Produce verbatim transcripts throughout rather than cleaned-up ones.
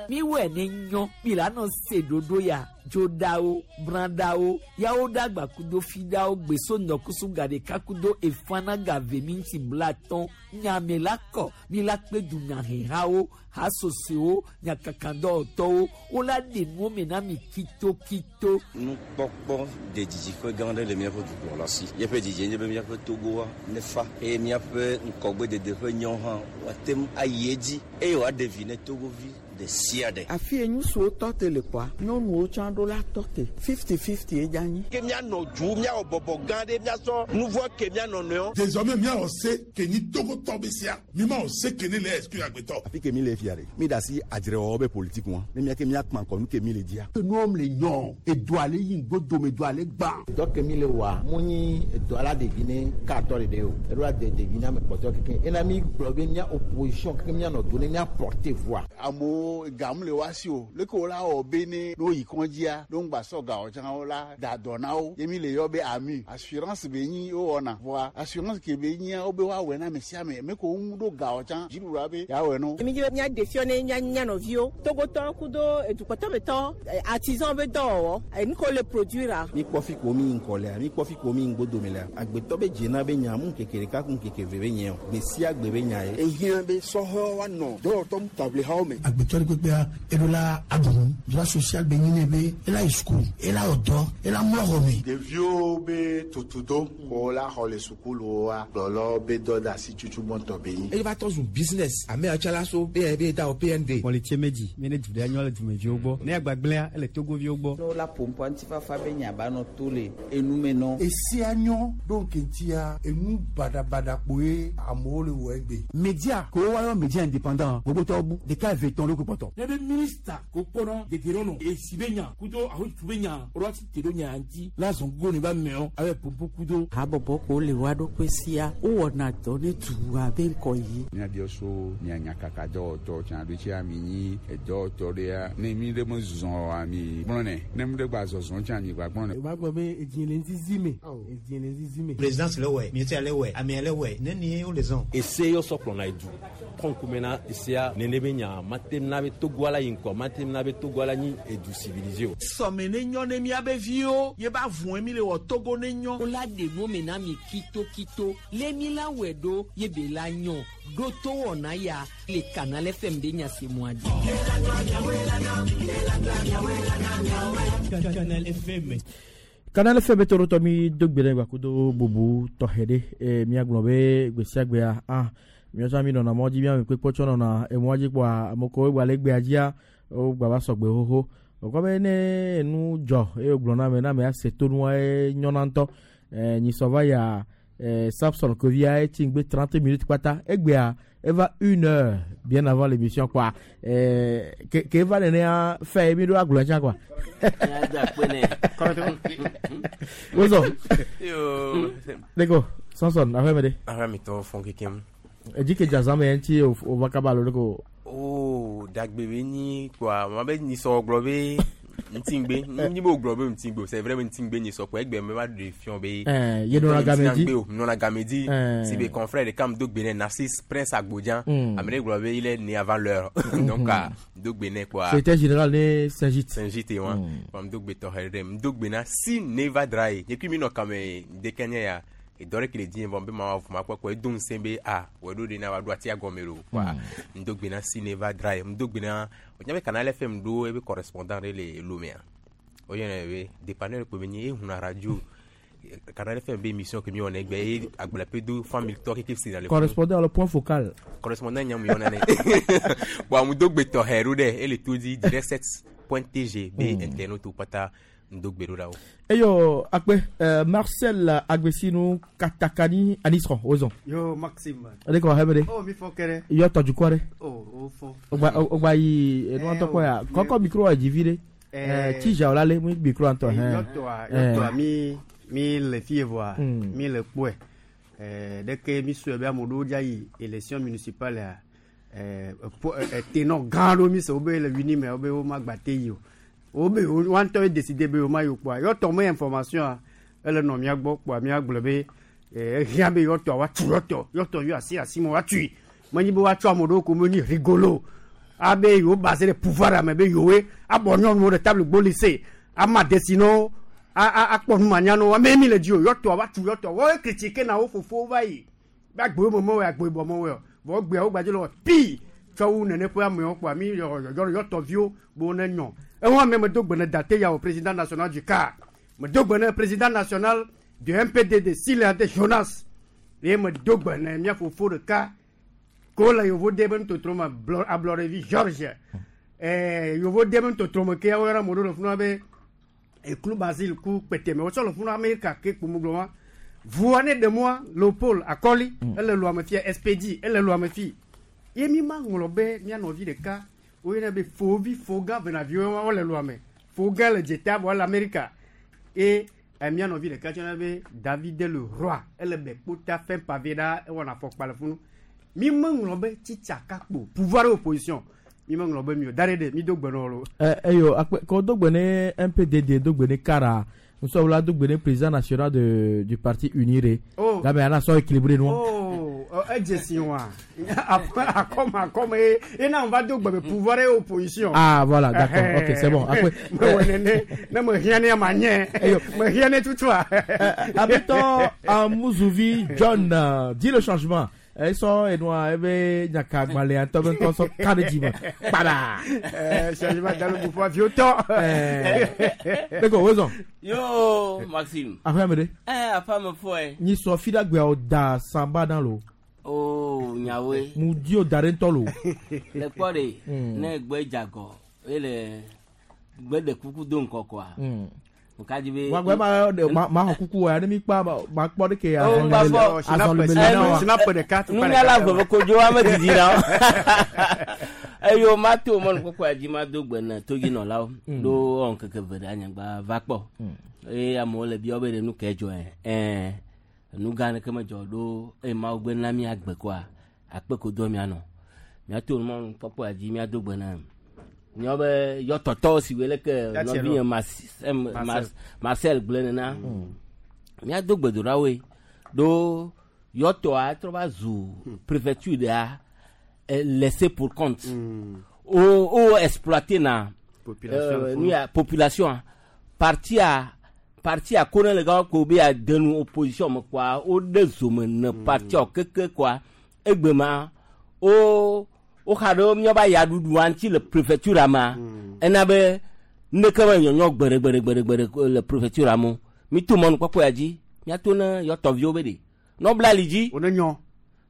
Mi wɛ ne nyɔ mi la nɔ se ɖoɖo ya dzoɖawo brãɖawo yawo ɖagba kudo fiɖawo gbeso ŋdɔkusu gaɖeka kudo efana gave minti blatɔn nyame la kɔ mi la kpe dunyahehawo hasosewo nyakakadɔwɔtɔwo wola ɖe nuwo me na mi kitokito. Nukpɔkpɔ de didiƒe gã aɖe le míaƒe dukplɔla si. Míaƒe didie nye be míaƒe Togoa nefa eye míaƒe ŋkɔgbedede ƒe nyɔ hã woate ŋu ayi edzi eye wòaɖe vi ne Togovi ɖe sia ɖe. Afi ye ŋutsuwo tɔ te le kɔa, nyɔnuwo tsã ɖo la tɔ te. Fifty fifty ye dza nyi. Ke míanɔ du míawɔ bɔbɔ gã ɖe míasɔ nu vɔ ke míanɔ nɔewo. Désormais míawɔ se ke nyi Togotɔ be sia mi ma wɔ se ke ne le exclure agbetɔ. Afi ke mi le fia ɖe mi da asi adzrewɔwɔ be politique wa ne miake miakpã kɔ nu ke mi le dzia. Nuwɔm le nyɔ edoa le yi ŋgbodome doa le gbã. Dɔ ke mi le wɔa mu nyi edoa la ɖevi ne katɔ ɖeɖe o eɖo la de ɖevi na ame kpɔtɔ keke ena mi gblɔ be mía opposition keke míanɔ do ne mía porter voix. Amewo gamu le wa si o leke wo la wɔ be ne ne woyi kɔndzia ne ŋgba sɔ gawo tsã wo la da dɔ na wo ye mi le yɔ be ami assurance be nyi wowɔna vɔa assurance ke be nyia wo be woawɔe na ame sia ame me ko ŋu ɖo gawo tsã dziɖuɖua be yeawɔe no. Mi dzi be míaɖe fiɔ ne mía mía nɔviwo Togotɔ kudo edukɔtɔmetɔ artisan be dɔwɔwɔ enu ko le produire. Mi kpɔ fi ko mi ŋkɔ lea mi kpɔ fi ko mi ŋgbodome lea agbetɔ be dzena be nya mu ŋkeke ɖeka ku ŋkeke eve be nye o gbe sia gbe be nya ye. Ehiã be sɔhɛwo woanɔ dɔwɔtɔ taʋlihawo me. Agbetɔ ɖe kpekpea eɖo la aɖu droit social be nyi ne be ela yi sukulu ela wɔ dɔ ela mlɔ xɔ me. Ɖeviwo be tutudo ko la xɔ le sukuluwoa kplɔlɔwo be dɔ de asi tutu gbɔntɔ be nyi. Eye va tɔ zu business ame atsala so be da o P N D. Mɔlitse medzi mi ne du ɖe nyɔ le dumeviwo gbɔ ne agbagblẽa ele Togoviwo gbɔ. Ne wola ƒoƒoa ŋutifafa be nya ba nɔ to le enume nɔ. Esia nyɔ ɖo nkeŋtia enu baɖabaɖa kpoe amewo le wɔ egbe. Média ko wa yɔ média indépendant gbogbotɔwo bu ɖeka eve tɔn ɖo kpɔtɔ. Ne be minista ko kpɔnɔ dedienɔnɔ esi be nya kudo ahotu be nya ɔlɔ ti te ɖo nya ŋuti la zɔn go ne ba mɛɔ abe pompo kudo. Habɔbɔ ko le wa ɖokui sia wowɔna dɔ ne dua be ŋkɔ yi. Míabiɔ so mia nyakaka dɔwɔtɔ tsã ɖo tsia mi nyi edɔwɔtɔ ɖea ne mi ɖe me zɔ oa mi gblɔnɛ ne mi ɖe gba zɔzɔ tsã mi gba gblɔnɛ. O b'a gbɔ be edzi le ŋzizi me edzi le ŋzizi me. Présidence le wɛ ministère le wɛ amea le wɛ ne ni wo le zɔn. Ese yɔ sɔ kplɔna edu kɔnkume na esea nene be nya mate na be Togo ala yi ŋkɔ mate na be Togo ala nyi edu civilisé o. Sɔme ne nyɔ ne miabe viwo ye ba vɔn mi le wɔ Togo ne nyɔ. Wola ɖe nuwo me na mi kitokito lé mi la wɔe ɖo ye be la nyɔ ɖo to wɔna ya le Canal F M de nyasemua dzi. Canal F M. Canal F M torotɔ mi do gbe ɖe gbakudo bubu tɔxɛ ɖe eye míagblɔ be gbe sia gbea ah míatsɔ mi nɔna mɔ dzi míame kpekpe tsɔ nɔna emɔa dzi kpoa ame kewo gba le gbea dzia wo gba va sɔgbe xoxo wòkɔ be ne enu dzɔ eye wògblɔ na ame na ame ase tonua ye nyɔna ŋutɔ ɛɛ nyisɔ va yia ɛɛ Samson Kovia etsi ŋgbe trente minutes kpata egbea eva une heure bien avant l'émission quoi ɛɛ ke ke eva nenea fɛ mi ɖo agblɔ tsã quoi. Wozɔ. Leko Samson aƒe me ɖe. Aƒe mi tɔ fɔn kekem. Edzi ke dza me ŋuti o va kaba alo ɖeko. Oo dagbe be nyi kpoa ma be nyisɔ gblɔ be ŋutigbe nyi be wògblɔ be ŋutigbe o c'est vrai be ŋutigbe nyisɔ kpoa egbe me va ɖe fiɔ be. Ɛɛ ye nɔna game dzi. O nɔna game dzi. Si be confrère ɖeka mi do gbe nɛ Narcisse Prince Agbodjan. Ame ɖe gblɔ be il est né avant l'heure donc do gbe nɛ kpoa. Secrétaire général ne Saint-Gite. Saint-Gite wa kpoa mi do gbe tɔxɛ ɖe mi do gbe na si Neva Dra ye nye kui mi nɔ kame ŋdeke nye ya edɔ ɖe ke le dzi vɔ be ma wɔ ma kpɔ edo ŋusẽ be a wɔ ɖo ɖe na wa ɖo atia gɔme ɖo kpoa mi do gbe na si Neva Dra ye mi do gbe na o nya be Canal F M ɖo ebe correspondant ɖe le Lomea o yɔnɛ be dépanneur kpo be nyi ehuna radio Canal F M be émission ke mi wɔna egbe ye agblɔƒe do famille tɔ keke si na le. Correspondant le point focal. Correspondant nyamu yɔna nɛ bon mu do gbe tɔxɛ ɖo ɖe ele to dzi direct sept point tg be internaute kpata ndo gbe ɖo ɖa wo. Eyo akpe euh, Marcel Agbesinu Katakani Anisron ozon. Yo Maxime. Ale ko hebe de. Oh mi fɔ kɛrɛ. Yo tɔju kɔ de. Oh o fɔ. O gba o gba yi enu antɔ kɔ ya kɔkɔ micro a dzi vi de. Eh tija la le mu micro antɔ hɛn. Yɔtɔa yɔtɔa mi mi le fie voa mi le kpɔe ɛɛ deke mi sɔe be ame ɖewo dza yi élection municipale a ɛɛ tenɔ gã ɖewo mi se wo be le wini me wo be wo ma gba te yi o wo be wa ŋutɔ ye décidé be wo ma yi o kpoa yɔtɔ me information a ele nɔ mía gbɔ kpoa mía gblɔ be ɛɛ ehiã be yɔtɔ wa tu yɔtɔ yɔtɔ yɔ asi asi me wa tui menyi be woatsɔ ame ɖewo ko me nyi rigolo Abe yewo basé ɖe pouvoir ame be yewoe abɔ nyɔnuwo ɖe table gbo lycée ama desino akpɔ numanyanu ame mi le dzi o yɔtɔ va tu yɔtɔ wɔe critique na wo fofowo va yi be agbowo me mewɔe agbowo bɔ mewɔe o vɔ gbeawo gbadze le wɔ pii tsɔ wu nene ƒe amewo kpoa mi yɔ yɔtɔviwo bo ne nyɔ eŋu ame me do gbe ne date ya o président national du CAR me do gbe ne président national du M P D D Sile Jonas ye me do gbe ne mía fofo ɖeka ko le yevo de be nutotro me ablɔɖevi George ɛɛ yevo de be nutotro me ke woyɔna mo ɖo le funu be eklu Basile ku kpeteme wotsɔ le funu Amerika ke kpomugblɔ wa vua ne ɖe Léopold Akɔli ele lu ame fia S P D ele lu ame fi ye mi ma ŋlɔ be mía nɔvi ɖeka woyɔna be fovi fogã venaviwo wole lu ame fogã le dzeta vɔ le Amerika ye mía nɔvi ɖeka tsɔna be David le roi ele be kpota fɛn pavé ɖa ewɔna afɔkpa le funu mi me ŋlɔ be tsitsaka kpo pouvoir opposition mi me ŋlɔ be mi o da ɖe ɖe mi do gbe nɔ lo. Ɛ eyo akpɛ kɔ do gbe ne M P D D do gbe ne Kara nsɔwula do gbe ne président national de du parti Uniré. Oh gabe ana sɔ équilibré nu. Oh edze si wa akɔma akɔma ye ena va do gbe be pouvoir et opposition. Ah voilà d'accord ok c'est bon akpɛ. Me wɔ nene ne me hiã ne ma nye me hiã ne tutua. Abetɔ Amuzuvi John dit le changement. Ils sont et nous ebe nyaka gbalẽ ŋutɔ be ŋutɔ sɔ ka ɖe dzime kpada. Changement dans le mouvement vieux temps. Beko wozɔn. Yo Maxime. Aƒea me ɖe. Ɛ aƒea me fɔe. Nyi sɔ fi ɖe agbeawo da samba na lo. Oh nyawoe. Mu di o da ɖe ŋutɔ lo. Le kpɔ ɖe ne gbe dzagɔ ele gbe ɖe kuku do ŋkɔkɔa. Wagbe ma ma ma xɔ kuku wa ne mi kpa ma kpɔ ɖe ke nunyala veve kodzo ame didi na eyo ma to mɔnu kpɔkpɔ dzi ma do gbe ne todzinɔlawo ɖo wɔn keke ve ɖe anyigba va kpɔ eye amewo le biawo be ɖe nu ke dzɔ ɛ nu gã ɖeke medzɔ ɖo eye mawu gbe na mi agbe koa akpe ko do mianɔ miato mɔnu kpɔkpɔ dzi miado gbe na nyɔ be yɔtɔtɔ si wele ke nɔvinye Marcel gblẽ nena míado gbedoɖawoe ɖo yɔtɔa trɔ va zu préfecture ɖea laissé pour compte o o exploité na nu ya population partia partia ko ne le ga ko be adenu opposition me kɔa o ɖe zome ne partia keke kɔa egbe ma o o xa ɖe míaƒe ayaɖuɖua ŋuti le préfecture ma ena be neke me nyɔnyɔ gbeɖe gbeɖe gbeɖe gbeɖe le préfecture mo mi to mɔnu kpɔkpɔ ya dzi míato ne yɔtɔviwo be ɖe nɔbla li dzi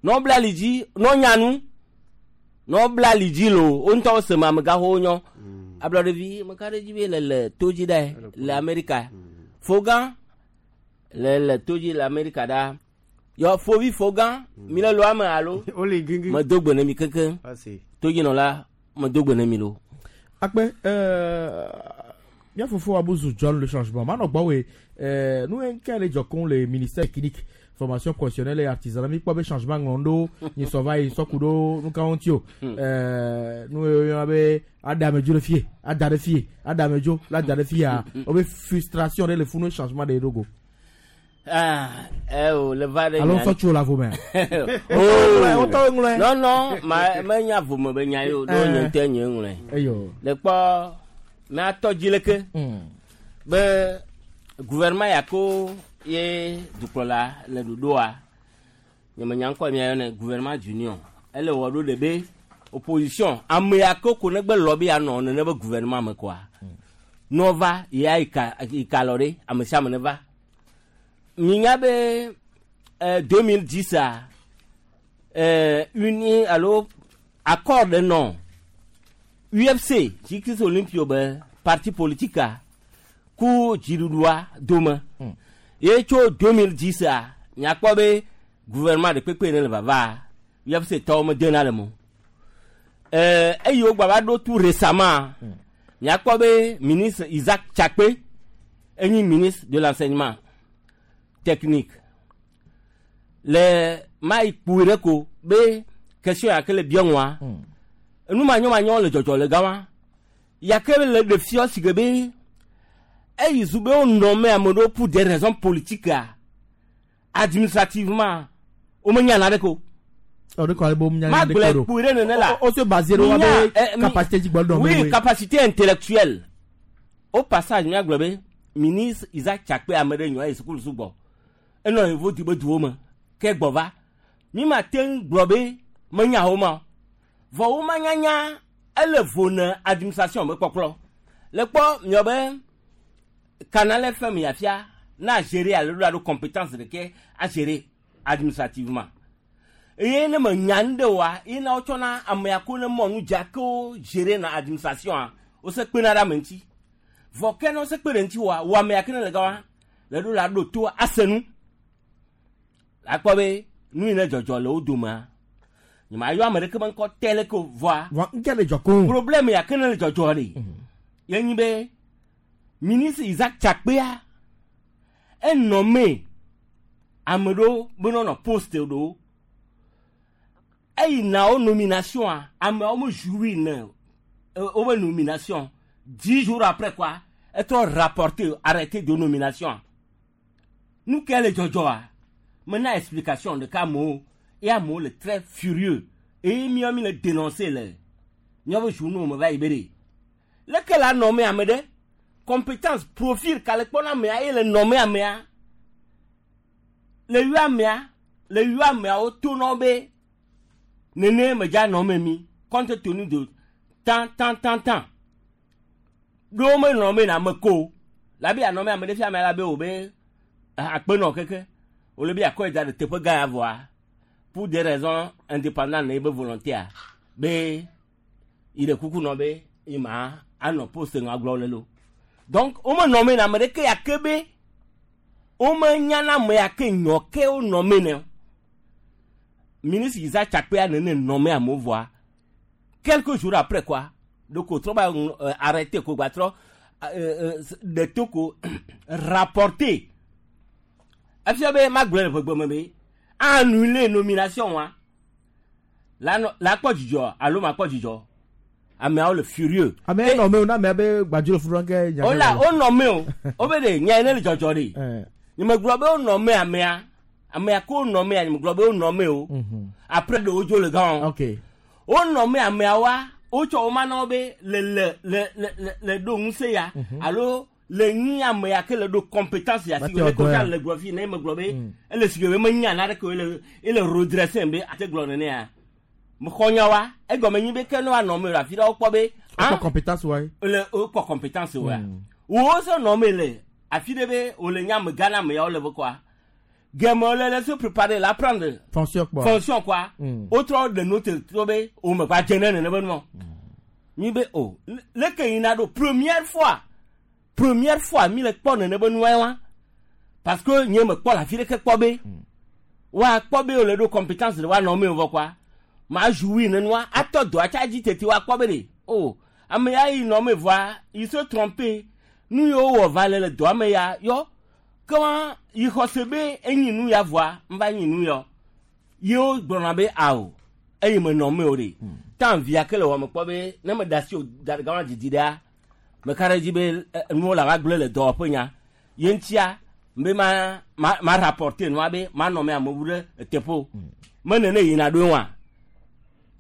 nɔbla li dzi nɔnyanu nɔbla li dzi lo wo ŋutɔ se me amegaxowo nyɔ ablɔɖevi meka ɖe dzi be le le to dzi ɖe le Amerika fogã le le to dzi le Amerika ɖa. Yo fovi fogan mi le lo ame alo me do gbe ne mi keke todzinɔla me do gbe ne mi lo. Akpe euh mía fofo Abuzu John le changement manɔ gbɔwoe euh nu nke le dzɔ le ministère technique formation professionnelle et artisanat mi kpɔ be changement ŋlɔ ɖo nyi sɔ va yi sɔku ɖo nu kawo ŋuti o euh nu yɔna be adamedzo le fie ada ɖe fie adamedzo la da ɖe fia wo be frustration ɖe le funu changement ɖe ɖo go. Ah, eh oh, le va de. Alors, ça, tu la vomé. Oh, non, non, ma, ma, nya vomé, be nya yo, do nye nye ngle. Eyo. Le kpɔ, me atɔ dzi leke. Be gouvernement ya ko ye dukplɔla le ɖoɖoa. Nye me nya ŋkɔ mia yɔnɛ gouvernement d'union. Ele wɔ ɖo ɖe be opposition ame ya ko ko ne gbe lɔ be yanɔ nene be gouvernement me koa. Nɔva ya ika ika lɔ ɖe ame sia ame ne va. Minya be euh, deux mille dix a euh, uni alo accord de non U F C Jikis Olympio be parti politique a ku dziɖuɖua dome mm. Ye tso deux mille dix a miakpɔ be gouvernement de kpekpe ne le vava U F C tɔwo medena le mo euh, eye wogba va ɖo tout récemment mm. Miakpɔ be ministre Isaac Tchakpe enyi ministre de l'enseignement technique le mai kpui ko be question ya ke le biɔnua enu manyɔmanyɔ le dzɔdzɔ le gama ya ke le ɖe fiɔ si ke be eyi zu be wonɔ me ame ɖewo pour des raisons politiques administrativement womenya na ɖe ko. O de ko ale bo nya Ma gblɔe kpui ɖe nene la. O se basé ɖo wa be capacité dzi gbɔ dɔn Oui, capacité intellectuelle. Au passage, míagblɔ be ministre Isaac Tchakpe ame ɖe nyɔ yi sukulu sugbɔ. Enɔ yevo di be duwo me. Ke gbɔ va. Mi ma te ŋu gblɔ be menya wo ma o. Vɔ wo ma nyanya ele vo ne administration be kpɔkplɔ. Le kpɔ miɔ be Canal F M ya fia na gérer alo ɖo alo compétence ɖeke a gérer administrativement. Eye ne me nya nu ɖe oa, ye na wotsɔna amea ko ne mɔnu dza ke wo gérer na administration a, wose kpena ɖe ame ŋuti. Vɔ ke ne wose kpe ɖe ŋuti oa, wò amea ke ne le gama, le ɖo la ɖo to ase nu. Akpɔ be nu yi ne dzɔdzɔ le wo domea, nye ma yɔ ame ɖeke be ŋkɔ te leke o vɔa. Vɔ ŋke le dzɔ koŋ. Problème ya ke ne le dzɔdzɔ ɖe. Ye nyi be ministre Isaac Tchakpea enɔ me ame ɖewo be nɔnɔ poste ɖewo. Eyi na wo nomination a, ameawo me jouir ne wo be nomination. Dix jours après quoi, etrɔ rapporter arrêté de nomination. Nu ke le dzɔdzɔ a, mena explication ɖeka amewo ye amewo le très furieux eye míawo mi le dénoncer le míawo be journaux me va yi be ɖe. Leke la nɔme ame ɖe compétence profil ka le kpɔna amea ye le nɔme amea le yɔ amea le yɔ ameawo to na be nene medza nɔme mi compte tenu de tan tan tan tan. Ɖewo me nɔme na ame ko la be anɔme ame ɖe fia amea la be wo be akpenɔ keke wole be akɔe da ɖe teƒe gã ya vɔa pour des raisons indépendantes ye be volontaire be yi ɖe kuku nɔ be yi ma anɔ poste ŋa gblɔ le lo. Donc wo me nɔme na ame ɖeke ya ke be wo me nya na ame ya ke nyɔ ke wo nɔme ne. Ministre Isaac Tchakpea nene nɔme amewo vɔa quelques jours après quoi donc o trɔ ba arrêté ko gba trɔ ɖe to ko rapporter efia be magblɔ le ʋegbe me be annuler nomination wa la la kpɔ dzidzɔ alo ma kpɔ dzidzɔ ameawo le furieux. Ame nɔme o na amea be gbadzo le furu ke nya. O la o nɔme o o be de nya ne le dzɔdzɔ de nye me gblɔ be o nɔme amea amea ko nɔme a nye me gblɔ be o nɔme o après de o dzo le gã o. Ok. O nɔme amea wa o tsɔ o ma na wo be le le le le le ɖo ŋusẽ ya alo le nyi ame ya ke le ɖo compétence ya si le ko le gblɔ fi ne me gblɔ be ele si be me nya na ɖe ke ele ele redresser be ate gblɔ nene ya me xɔ nya wa egɔme nyi be ke ne wa nɔme le afi ɖe wo kpɔ be kpɔ compétence wa le o kpɔ compétence wa wo se nɔme le afi ɖe be o le nya me gã na ame ya wo le be kɔa gɛmɛ le le se préparer la prendre fonction quoi fonction quoi o trɔ de note trɔ be o me kpa dze ne nene be nua mi be o leke yina ɖo première fois première fois mi le kpɔ nene be nua wa parce que nye me kpɔ le afi ɖeke kpɔ be wa kpɔ be o le ɖo compétence de wa nɔ me o vɔ quoi ma jouir nenua atɔ dɔ atsa dzi tete wa kpɔ be de o ame ya yi nɔ me vɔa yi se tromper nu yiwo wɔ va le le dɔa me ya yɔ kema yi xɔse be enyi nu ya vɔa nva nyi nu yɔ yewo gblɔna be awo eye me nɔ me o de tan via ke le wɔ me kpɔ be ne me da si o da gama didi ɖea me ka ɖe dzi be nuwo la va gblẽ le dɔwɔƒe nya ye ŋutia be ma ma ma rapporter nua be ma nɔ me amewo ɖe eteƒe o me nene yina ɖo wa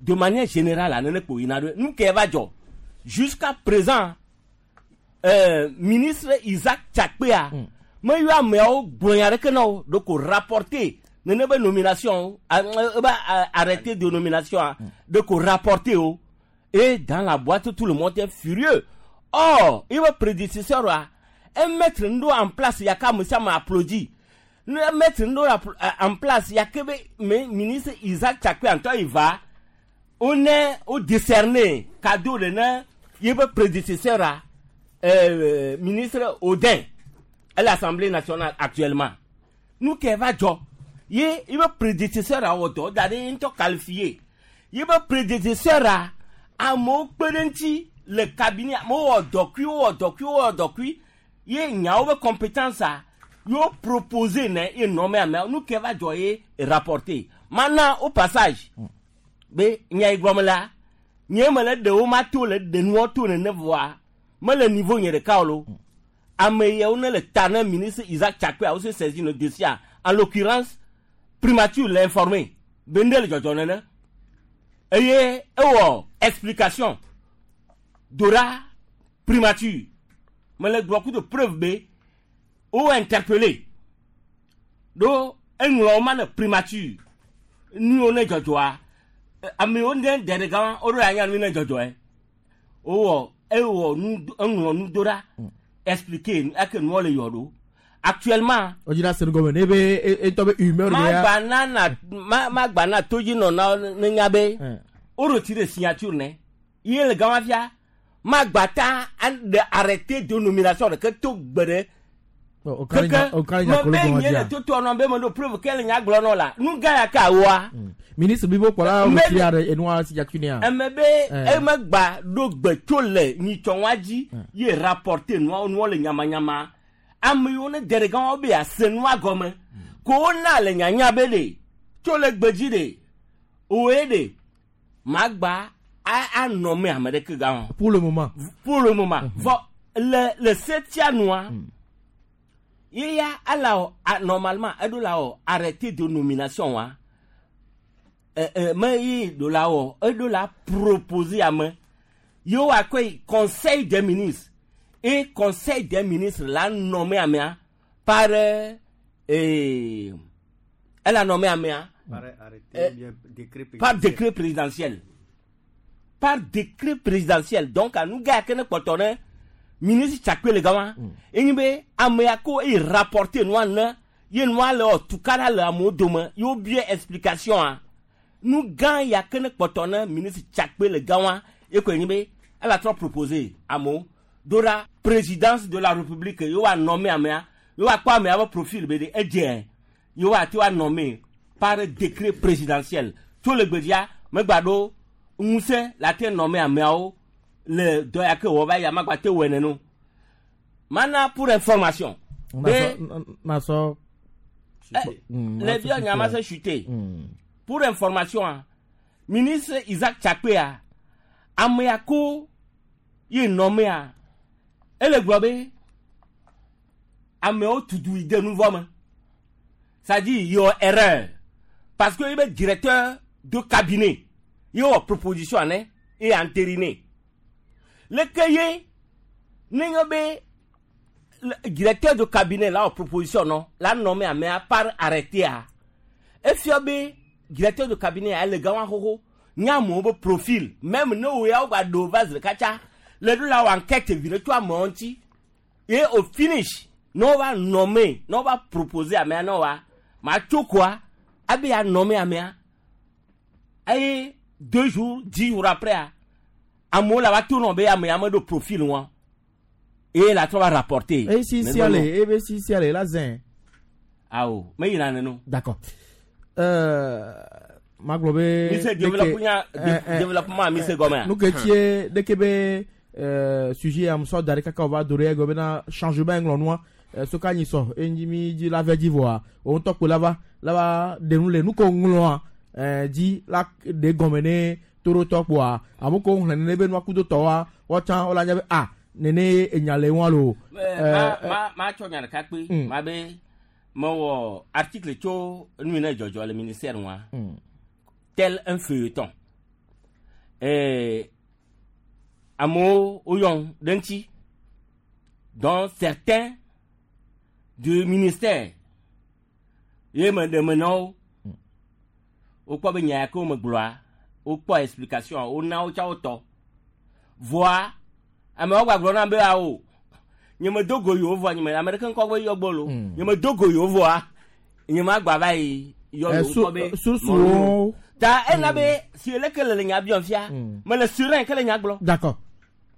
de manière générale la nene kpo yina ɖo nu ke va dzɔ jusqu'à présent euh, ministre Isaac Tchakpea mm. me yɔ ameawo gblɔ nya ɖeke na wo ɖeko rapporter nene be nomination ebe arrêté de nomination ɖeko rapporter o et dans la boîte tout le monde est furieux. Or il va prédécesseur a mettre nous en place ya ka ame sia ame applaudi mettre nous en place ya ke be ministre Isaac Tchakpea ŋutɔ yi va on est au décerné cadeau de ne ye be prédécesseur a euh, ministre Odin à l'Assemblée nationale actuellement. Nous qui va dzɔ ye ye be prédécesseur a wɔ dɔ da ɖe ŋutɔ qualifié ye be prédécesseur a amewo kpe ɖe ŋuti le cabinet amewo wɔ dɔkui wɔ dɔkui wɔ dɔkui ye nyawo be compétence a yewo proposé ne ye nɔme ameawo nu ke va dzɔ ye rapporter mana au passage be nya yi gblɔm la nye me le ɖewo ma to le ɖe nuwo to nene vɔa mele niveau nye ɖeka o lo. Ame yawo ne le ta ne ministre Isaac Tchakpea wo se saisi le dossier en l'occurrence primature l'a informé. Be nde le dzɔdzɔ nene. Eye ewɔ explication dora primature. Mele gblɔ ku de preuve be wo interpellé. Do eŋlɔ ma ne primature. Nu ne dzɔdzɔa. Amewo ne ɖe gã wo ɖo anya nu ne dzɔdzɔe. Wowɔ ewɔ nu eŋlɔ nu dora expliquer ake nuwo le yɔ ɖo. Actuellement. O jira senu gɔmɛ ne be e tɔ be humeur de ya. Ma gba na na ma ma gba na todzi nɔ na ne nya be. O retire signature ne. Ye le gama fia. Ma gba ta de arrêté de nomination de ke to gbe ɖe. O kari nya o kari nya kolo gɔmɛ dia. Me be nye le toto nɔ be me ɖo preuve ke le nya gblɔ nɔ la. Nu gã ya ka woa. Ministre bibo kpɔla o retire are enua signature nea. Eme be eme gba ɖo gbe tso le nyitsɔ wa dzi ye rapporter nua nua le nyamanyama. Ame yiwo ne de ɖe gã wo be ase nua gɔme. Ko wona le nyanya be ɖe tso le gbedzi ɖe oe ɖe magba a anɔ me ame ɖeke gã o. Pour le moment. Pour le moment. Vɔ le le setia nua ye ya ala o normalement eɖo la o arrêté de nomination wa. Euh euh me ye ɖo la o eɖo la proposer ame. Ye wa koe conseil des ministres. Et conseil des ministres l'a nommé amea par euh, elle a nommé amea par arrêté, bien, décret présidentiel. Par décret présidentiel. Par décret présidentiel. Donc à nous gars qui ne portons ministre Tchakwe le gars et nous be amea ko et rapporté nous ne ye nous le en tout cas là le amo demain yo bien explication hein. Nous gars ya que ne portons ministre Tchakwe le gars et quoi nous be elle a trop proposé amo Dora présidence de la République yo a nommé amea yo a quoi amea va profil B D E yo a tu a nommé par décret présidentiel tout le gbedia me gbado nguse la te nommé amea o le doya ke wo va ya magba te wene no mana pour information na so le bio nyama se chuter pour information ministre Isaac Tchakwe a amea ko ye nommé a ele gblɔ be amewo tutu yi de nu vɔ me. Ça dit il y a erreur parce que il est directeur de cabinet il y a proposition hein et entériné. Le ke ye ne be directeur de cabinet là proposition non la nommé amea par arrêté a. E fia be directeur de cabinet a le gawa hoho nya mo be profil même ne wo ya gba do vase kacha. Le do la enquête vire toi monti et au finish non va nommer non va proposer à mais non va ma quoi abi a nommer à mais et deux jours dix jours après amo la va tout nommer à mais à de profil moi et la trois va rapporter et si si allez et si si allez la zin ah oh mais il en a non d'accord euh maglobe monsieur développement développement monsieur Gomez nous que tu de Québec Euh, sujet à mso dare kaka va doré gobena changement nglonoa so ka nyiso enjimi di la ve divoa on to ko lava lava de nu le nu ko ngloa eh di la de gomene toro to poa amoko hlen ne be nu akudo to wa wo chan ola nya be ah nene enyale won lo ma ma ma cho nya ka pe ma be mo wo article cho nu ne jojo le ministère wa tel un feuilleton eh Amo Oyon Denti, dont certains du ministère, ye me de meno, au quoi ben ko me gloire, au quoi explication, au na au cha auto. Voir, ame ogba glo na be a o. Nye me dogo yo vo, nye me American ko gbe yo gbolo. Nye me dogo yo vo a. Nye ma gba ba yi yo lo ko be. Sous Ta en abe si le ke le nya bien fia, mais le serein ke le nya glo. D'accord.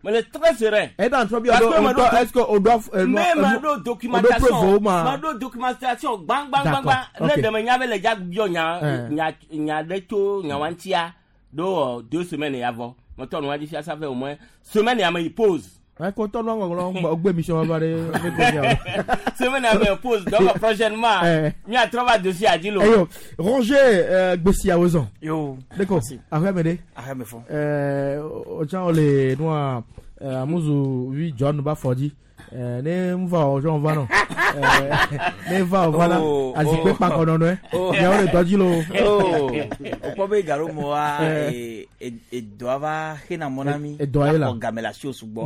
Mais le très serein. Et dans toi bien est-ce que on doit mais ma do documentation, ma do documentation bang bang bang bang. Ne de me nya be le ja bio nya nya nya de to nya wantia do deux semaines avant. Mon ton on a dit ça fait au moins semaine ya me pause. Ouais, quand on a ogbe mission va de semaine ya me pause donc prochainement mi a trois dossier à dire. Ayo, Roger Gbessi à Ozon. Yo. D'accord. Après me Après me font. Euh ojan le noa Amuzu vi John ba fɔdzi ne nva o jɔn va nɔ ne va o va la azikpe kpakɔ nɔnɔe miawo le dɔ dzi lo. O kpɔ be garo mɔ wa edɔa va hena mɔ na mi. Edɔa ye la akɔ game le asi wo sugbɔ.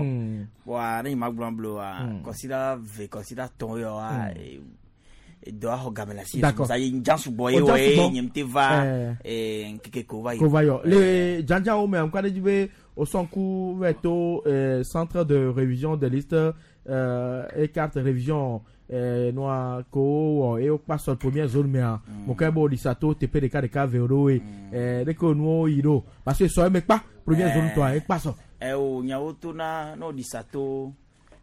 Bɔn ne yi ma gblɔ blo wa kɔsida ve kɔsida tɔn yɔ wa edɔa xɔ game le asi D'accord. sa ye njan sugbɔ ye O jan wɔ ye sugbɔ. nye te va nkeke ko va yi. Ko va yɔ le janjanwo me ŋkɔ aɖe dzi be o sɔnku va to centre de révision des listes euh, et carte révision euh, noa ko wɔ eye wokpa sɔ première zone mea mo ke bo ɖisa to teƒe ɖeka ɖeka ve ɖo ye ɖeke nuwo yi ɖo parce que sɔ eme kpa première zone tɔa ekpa sɔ. Ɛ o nyawo to na n'o ɖisa to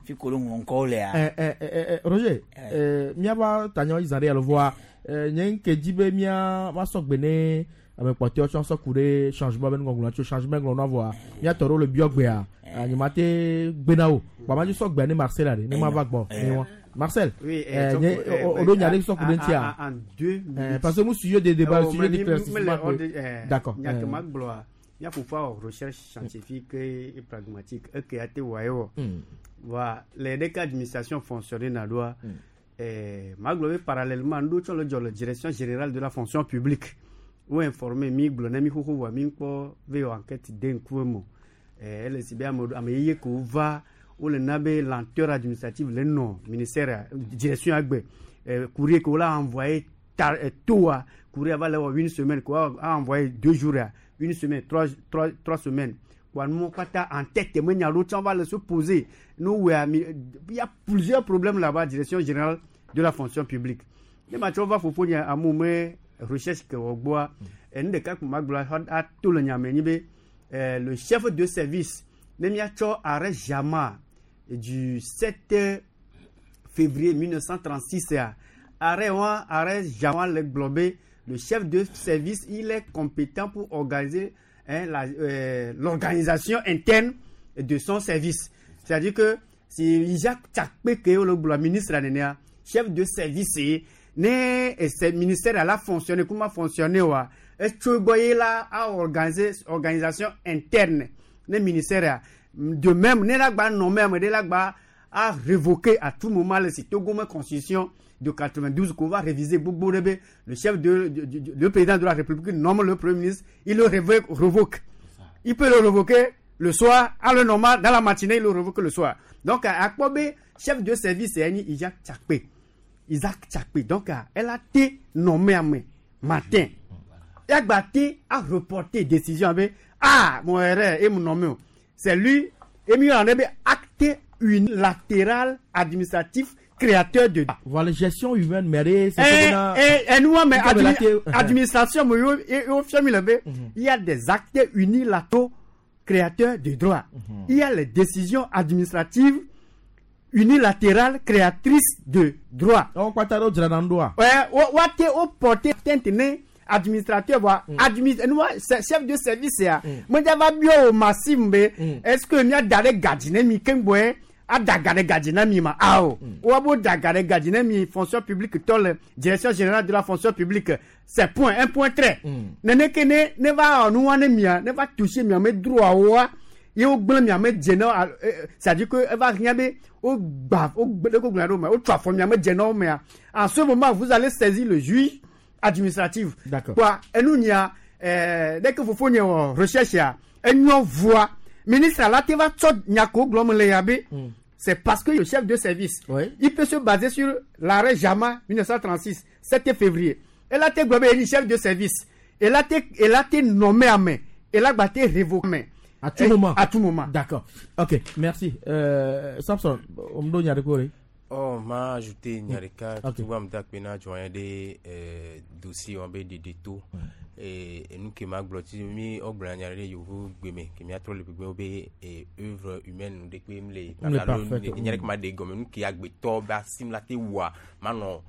fi ko ɖo ŋɔŋkɔwo lea. Ɛ ɛ ɛ Roger ɛ miaba tanyawo yi zã ɖe alo voa ɛ nye ŋke dzi be mia ma sɔ gbe ne ame kpɔtɔewo tsɔ sɔ ku ɖe changement be nuŋɔŋlɔ tso changement ŋlɔ nua vɔa miatɔ ɖewo le biɔ gbea nyemate gbe na wo kpa sɔ gbea ne Marcel ɖe ne ma va gbɔ ne wa Marcel Oui, ɛ nye o ɖo nya ɖe sɔ ku ɖe ŋutia en deux minutes. parce que mu sujet de débat Oh, sujet mais mi- d'éclaircissement mi- le- d'accord nya ke ma gblɔa mía fofoa wɔ recherche scientifique et pragmatique eke ate wɔ ye wɔ wa le ɖeke administration fonctionner na ɖoa eh, ma gblɔ be parallèlement ŋɖo tsɔ le dzɔ le direction générale de la fonction publique wo informé mi gblɔ ne mi xoxo vɔa mi kpɔ ve wɔ enquête de ŋkume mo eh, ele si be ame ame yeye kewo va wole na be lenteur administrative le nɔ ministère direction agbe eh, courrier ke wola envoyé tar eh, toa courrier va le wɔ une semaine ko a envoyé deux jours ya une semaine trois trois trois semaines quoi nous kpata en tête me nya ɖo tsã va le se poser nous wea mi il y a plusieurs problèmes là-bas direction générale de la fonction publique ne ma tsɔ va fofo nye amewo me recherche ke wɔ gbɔa enu ɖeka ko ma gblɔ ato le nyame nyi be eh, le chef de service ne miatsɔ arrêt Jama du sept février mille neuf cent trente-six ya arrêt wa arrêt Jama le gblɔ be le chef de service il est compétent pour organiser hein, la, euh, l'organisation interne de son service. C'est-à-dire que si Isaac Tchakpe ke le gblɔ ministre nenea chef de service ne ce ministère la fonctionné comment fonctionner wa etso gbɔ ye la a organiser organisation interne ne ministère de même ne la gba nommé ame ɖe la gba a révoquer à tout moment le si Togo me constitution de quatre-vingt-douze qu'on va réviser gbogbo ɖe be le chef de, de, de le président de la République nomme le premier ministre, il le révoque, révoque. Il peut le révoquer le soir, à le normal, dans la matinée, il le révoque le soir. Donc, à Akpobe, chef de service, c'est Isaac Tchakpe. Isaac Tchakpe. Donc, elle a été nommée à matin. Elle a été à reporter décision avec ah, mon erreur, et mon nommé. C'est lui, et mieux en est acte unilatéral administratif créateur de. Voilà, gestion humaine, mais c'est et, et, et nous, mais admi administration, il y a des actes unilatéraux créateurs de droit. Mm -hmm. Il y a les décisions administratives unilatérales créatrices de droit. On Ouais, on porter administrateur, administrateur, chef de service, moi, j'avais massime, est-ce que nous avons gardien, mi kengboé? A dagare gadina mi ma ao wa bo dagare gadina mi fonction publique tol direction générale de la fonction publique c'est point un point trait nene ke ne ne va nu wa ne mia ne va toucher mia me droit wa ye o gblen mia me djena c'est à dire que va rien be o gba o gbe ko gblen do ma o twa fo mia me djena o mea en ce moment vous allez saisir le juge administratif. D'accord. Quoi enu nia euh dès que vous faites recherche ya enyo voix ministre là te va tso nyako glom le yabe. C'est parce que le chef de service, oui. il peut se baser sur l'arrêt Jama mille neuf cent trente-six, sept février. Et là, tu es chef de service. Et là, tu es nommé à main. Et là, tu es révoqué. À tout moment. À tout moment. D'accord. Ok, merci. Euh, Samson, on me donne un Oh, m'a ajouté Nyarika, tout va me dire que na joint des dossiers en B de tout. Et nous qui m'a bloqué mi au blanc nyaré yovu gbeme qui m'a trop le gbeme be et œuvre humaine nous de que les nyaré ma de gomme nous qui a gbeto ba sim la te wa ma non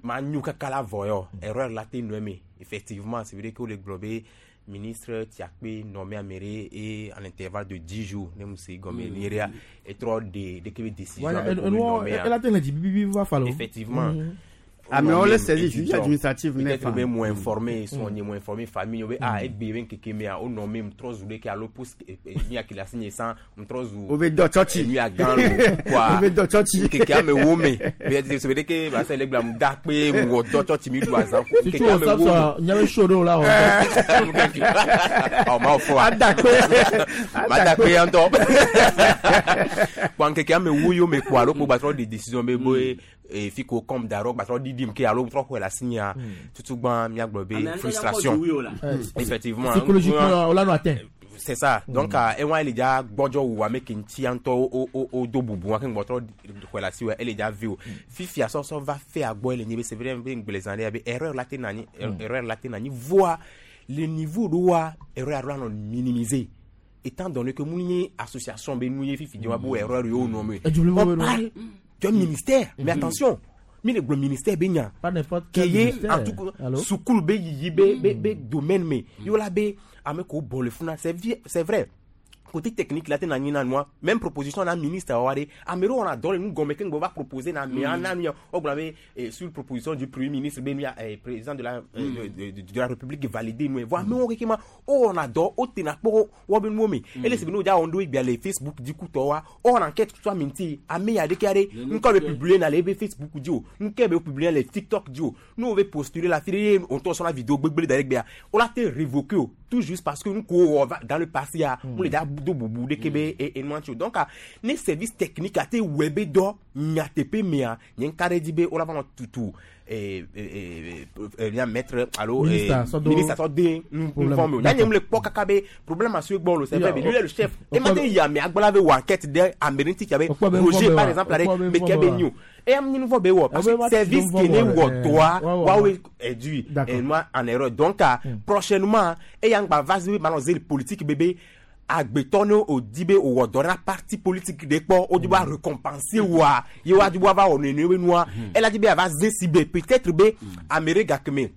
ma nyu kaka la voyo erreur la te nommé effectivement c'est vrai que le globé ministre Tiakpe nommé à mairie et en intervalle de dix jours ne musi gomme niria et trop de de que décision elle a dit bibi va falloir effectivement. Amewo le service juge administratif ne peut-être fa. be mo informé son Mm. nye mo informé famille be ah egbe be nkeke mea o nommé m trɔ zu ɖeke alo post nu ya kele asi nye san m trɔ zu O be dɔ tsɔtsi. nu ya gã lo quoi O be dɔ tsɔtsi. nkeke ame wo me peut-être se ɖeke ba se le gblɔ mu da kpe mu wɔ dɔ tsɔtsi mi ɖu azã Si tu wò sab sɔ nyame show ɖo la wɔ. Ɔ ma fɔ wa Adakpe. ma da kpe ya ŋutɔ kpɔ nkeke ame wo yome kpɔ alo kpo gbatrɔ de décision be boye fi ko comme darɔ gbatrɔ ɖiɖim ke alo trɔ xɔe le asi nya tutugbã miagblɔ be Ame ŋutɔ frustration ya kpɔ dzowi o la. effectivement Psychologiquement, on l'a no atteint. C'est ça. Donc ewa ele dza gbɔdzɔ wu ame ke ŋuti ya ŋutɔ wo wo wo do bubu wa ke ŋgbɔtrɔ xɔe le asi wa ele dza vi o fifia sɔsɔ va fe agbɔ ele nyi be c'est vrai be ŋgble zã ɖe ya be erreur la te na anyi erreur la te na anyi voa le niveau ɖo wa erreur aɖo anɔ minimiser étant donné que mu nye association be nu ye fifi di wa bo erreur yewo nɔ me on parle d'un ministère, mais attention, mi le gblɔ ministère be nya Pas n'importe ke quel ye ministère. en tout cas Allô? sukulu be yiyi be be be domaine me yo la be ame ko bɔ le funa, c'est vi- c'est vrai, côté technique la te na nyi na nua même proposition na ministre wa de ame ɖewo wɔna dɔ le nu gɔme ke ŋgbɔ va proposer na amea na nu ya wogblɔ be eh, sur proposition du premier ministre be nu ya eh, président de la eh, de, de, de, de la république validé nu ye vɔ amewo keke ma wowɔna dɔ wotena kpɔ wɔ be nuwo me ele si be ne wodza wɔn ɖo egbea le Facebook dzi kutɔ wa wowɔna enquête tso ame ŋuti ame ya ɖeke aɖe ŋkɔ be publier na le ebe Facebook dzi o ŋkɔ be publier le TikTok dzi o ne wo be postuler la fi ɖe ye wòŋutɔ sɔna vidéo gbegble da ɖe gbea wola te révoquer o tout juste parce que nu ko wɔ va dans le passé ya mo le dza do bubu ɖeke be e enua ŋuti o. Donc ah, ne service technique ate wɔe be dɔ nyateƒe mea nye ŋka ɖe dzi be wola va nɔ tutu eh, eh, eh, eh, mia maître alo eh, Ministre, sɔ do- ministre sɔ de nu Problème. fɔm o D'accord. nya nye mu le kpɔ kaka be problème asu gbɔ lo c'est Ya, vrai, mais lui o- est le chef o- e ma te yi ame agbala be wɔ enquête ɖe ame ɖe ŋuti be Okpɔ be Roger nuvɔ par be exemple wa, aɖe okpɔ be me ke nuvɔ be be nyo eya mi nuvɔ be wɔ parce Eh, que be service ma ke ne ti wɔ nuvɔ dɔa wɔ, eh, woawoe ɛdui D'accord. enua en erreur. Donc ah, prochainement eya ŋgba va zi manɔ ze politique bebe agbetɔ ne o di be o wɔ dɔ na parti politique ɖe kpɔ o di be a récompenser woa ye wa di be wa va wɔ nene be nua ela di be a va ze si be peut-être be ame ɖe gake me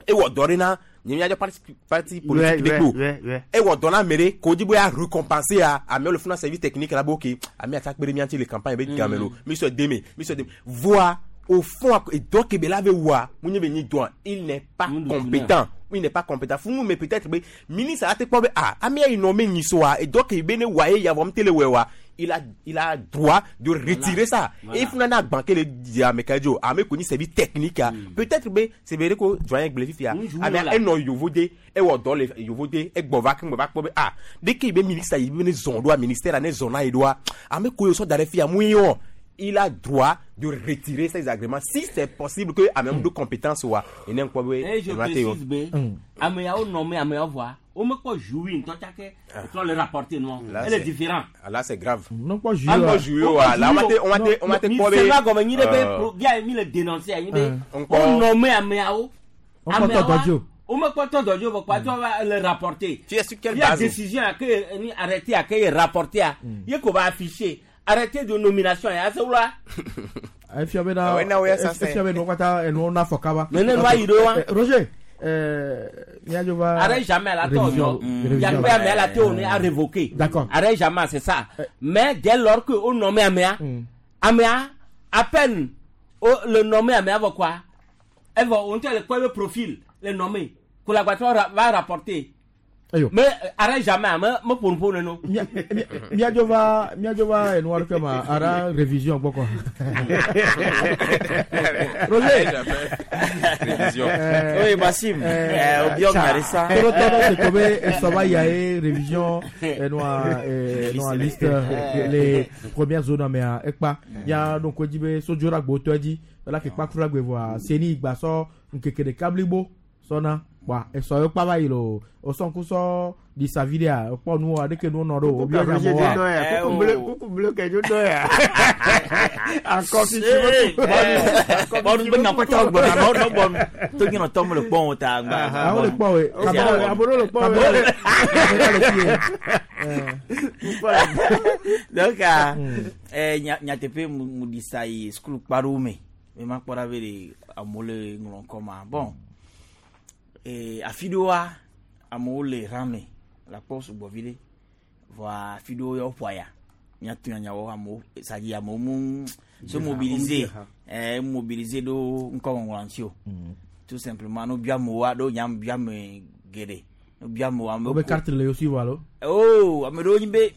ewɔ dɔ ɖe na nye miadzɔ parti parti politique ɖe Ouais, kpo ouais, ouais. ewɔ dɔ na ame ɖe ko di be ya récompenser ya amewo le funa service technique la be ok ame ata kpe ɖe mía ŋuti le campagne be game lo mi sɔ deme mi sɔ deme voa au fond edɔ ke be la be wɔa mu nye be nyi dɔa il n'est pas compétent, il n'est pas compétent funu. Mais peut-être be ministre ate kpɔ be ah ame ya yi nɔ me nyi soa edɔ ke be ne wa ye ya vɔ mu te le wɔe wa il a il a droit de retirer ça. Voilà. Et funa na agban ke le di ame ka dzo ame ko ni service technique a peut-être be c'est vrai ko doyen gblẽ fifia Mm, ame voilà. enɔ yovo de ewɔ dɔ le yovo de egbɔ va keŋ va kpɔ be ah deke be ministre yi be ne zɔn ɖoa ministère la ne zɔn na yi ɖoa ame ko yi sɔ da ɖe fia mu ye wɔ il a droit de retirer ses agréments si c'est possible que ame de compétence wa ene ŋkpɔ be Et je enua te yɔ. précise be ameyawo nɔme ameyawo vɔa womekpɔ joué ŋutɔ tsake trɔ le rapporter nua Là, ele c'est- différent. Ah, là c'est grave. Non kpɔ joué An wa. kpɔ joué wa là on va te on va te on va te kpɔ be. Mi gɔme nyi ɖe be euh, pro- via mi le dénoncer anyi be Mm. wo nɔme ameyawo. Wokpɔ tɔ dɔ dzi o. Womekpɔ tɔ dɔ dzi o vɔ kpa tsɔ va le rapporter. Tu es sur quelle Via base? décision a ke ni arrêté a ke ye rapporter a ye ko va afficher arrêté de nomination ya se wula. Efia be na Ah ouais, na ouais, ça, c'est- efia be nuwo katã enuwo na fɔ kaba. Mais ne nua yi ɖo wa. Eh, Roger, eh, míadzo va. Arrête jamais la tort, révision- révision. Yakpe amea la te on a révoqué. D'accord. Arrête jamais, c'est ça. Mais dès lors que on nommé amea, amea, à peine oh, le nommé amea va quoi? Elle va on te le quoi le profil, le nommé. Collaborateur ra- va rapporter. Ayo. Mais euh, arrête jamais, mais me pour pour non. Mia- mia- míadzo va míadzo va enua ɖeke ma ara révision gbɔ kɔ. Roger. Révision. Eh, Oui, Bassim. Eh, Obiang Marissa. Torotɔ ɖe se ko be esɔ va yia ye révision enua eh, enua liste eh, les premières zones mea ekpa ya ɖo ŋku edzi be sodzo ɖe agbotɔ edzi ela ke kpa kura gbe vɔa seni gba sɔ ŋkeke ɖeka blibo sɔna kpa esɔ ye kpa va yi lo osɔ ŋku sɔ ɖisa vi ɖea ekpɔ nuwoa ɖeke nuwo nɔ ɖo o obiɔ Roger nyamewoa. dɔ ya Eh, kuku oh. bleu kuku bleu kɛ dzo dɔ ya. Akɔ fifi Bɔnu be nyakpɔtɔ gbɔna nɔ nɔ bɔnu to nyinɔ tɔ mu le kpɔn o ta gba. Awo le kpɔ we Abolo abolo le kpɔ Kabela we. le kabela le fi ye. Donc ah, eh, nya- nyateƒe mu mu ɖi sa yi sukulu kpaɖowo me me ma kpɔ ɖa be ɖe amewo le ŋlɔ ŋkɔ ma bon eh, afi ɖewoa amewo le rame le akpɔ sugbɔ vi ɖe vɔa afi ɖewo ya woƒo aya Miatu nyanyawo amewo sadi amewo mu se mobiliser eh mobiliser ɖo ŋkɔŋɔŋlɔ ŋuti o. Tout simplement no bia amewoa ɖo nya bia ame geɖe. No bia amewo amewo. Wobe carte le yosi vɔ alo? Oh, ame ɖewo nyi be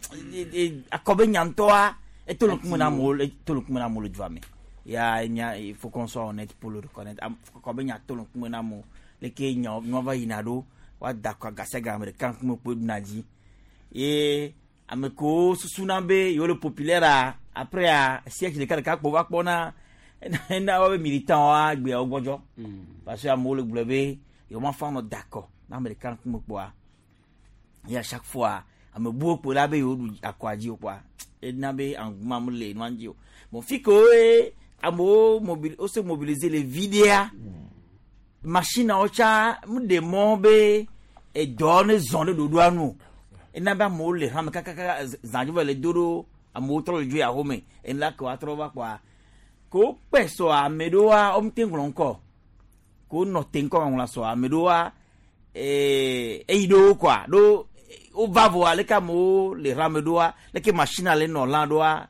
akɔ be nya ŋutɔa eto le ŋkume na amewo eto le ŋkume na amewo le dua me. Ya nya il faut qu'on soit honnête pour le reconnaître. Akɔ be nya to le ŋkume na amewo. Leke nya nua va yina ɖo woada akɔ gasiaga ame ɖeka ŋkume kpoe ɖuna dzi. Ye ame kewo susuna be yewo le populaire a après a siège ɖeka ɖeka kpo va kpɔna ena woabe militant woa gbeawo gbɔdzɔ. Parce que amewo le gblɔ be yewo ma fa nɔ da akɔ na ame ɖeka ŋkume kpoa. Ye à chaque fois ame buwo kpo la be yewo ɖu akɔa dzi o kpoa ena be engouement mele nua dzi o. Bon fi ke woe amewo mobili wo se mobiliser le vi ɖea machine awo tsa mu ɖe mɔ be edɔ ne zɔn ɖe ɖoɖoa nu o. Ena be amewo le hame kakaka zã dzo va le do ɖo amewo trɔ le dzo yi axome ena ke woatrɔ va kpoa ke wokpe sɔ ame ɖewoa wo mete ŋlɔ ŋkɔ ke wonɔ te ŋkɔ ŋɔŋlɔ sɔ ame ɖewoa ee eyi ɖewo kɔa ɖo wova vɔa leke amewo le hame ɖoa leke machine le nɔ lã ɖoa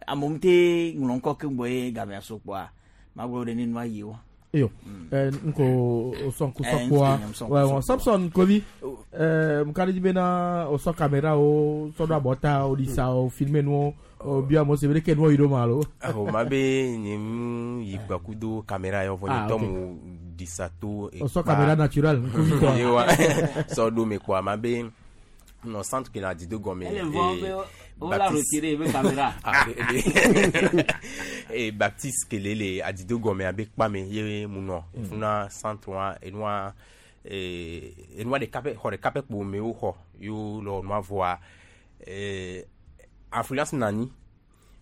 amewo mete ŋlɔ ŋkɔ keŋ gbɔ ye gamea so kpoa magblɔ ɖe ne nua yi wa. Eyo, eh, nko osɔn kusɔ kpoa wɛ Samson Kovi eh, mkari dzi bena osɔ caméra o sɔ ɖo abɔta o ɖisa o filmer nuwo o bia amewo se be ɖeke nuwo yi ɖo ma alo. Aho ma be nye mu yi gbakudo caméra yɔ vɔ nye Ah, tɔ ok. mu ɖisa to Osɔ caméra naturel nkuvi Ye wa sɔ ɖo me kpoa ma be nɔ centre ke la di do gɔme. Elle vend, eh, on l'a retiré be caméra. Ah, be- be- eh, Baptiste kele le adido gɔme abe kpame ye mu nɔ funa centre wa enua eh, enua ɖeka pɛ xɔ ɖeka pɛ kpo me wo xɔ yo lɔ nua vɔa eh, influence nani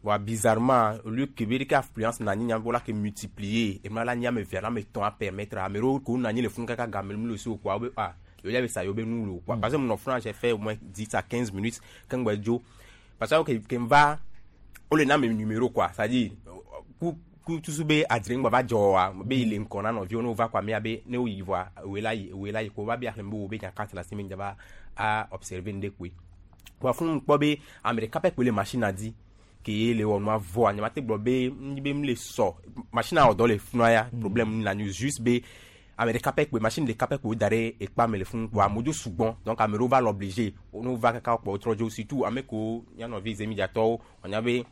voa bizarrement au lieu que be ɖeke influence nani nya la ke multiplier enua la nyi ame eve alo ame etɔ̃ a permettre ame ɖewo ko nani le funu kaka game mu le si o kpoa wo be ah yewo ya be sa yewo be nu le o quoi parce que mu nɔ funa j'ai fait au moins dix à quinze minutes keŋ gbɛ dzo parce que ke ke va wole na ame numéro quoi c'est à dire ku ku tusu be adre ŋgba va dzɔ wa be yi le ŋkɔ na nɔviwo ne wova kɔa mia be ne woyi vɔa ewoe la yi ewoe la yi ko va be axlẽ be wo be nya carte le asi me ŋdza va a observer ŋɖe koe kpoa funu kpɔ be ame ɖeka pɛ koe le machine dzi ke ye le wɔ nua vɔa nye ma te gblɔ be ŋdzi be m le sɔ machine wɔ dɔ le funua ya problème nu la nu juste be ame ɖeka pɛ koe machine ɖeka pɛ koe wo da ɖe ekpa me le funu kpoa amewo dzo sugbɔn donc ame ɖewo va le obligé wo ne wova kaka kpɔ wotrɔ dzo surtout ame kewo mía nɔvi zemidzatɔwo wonya be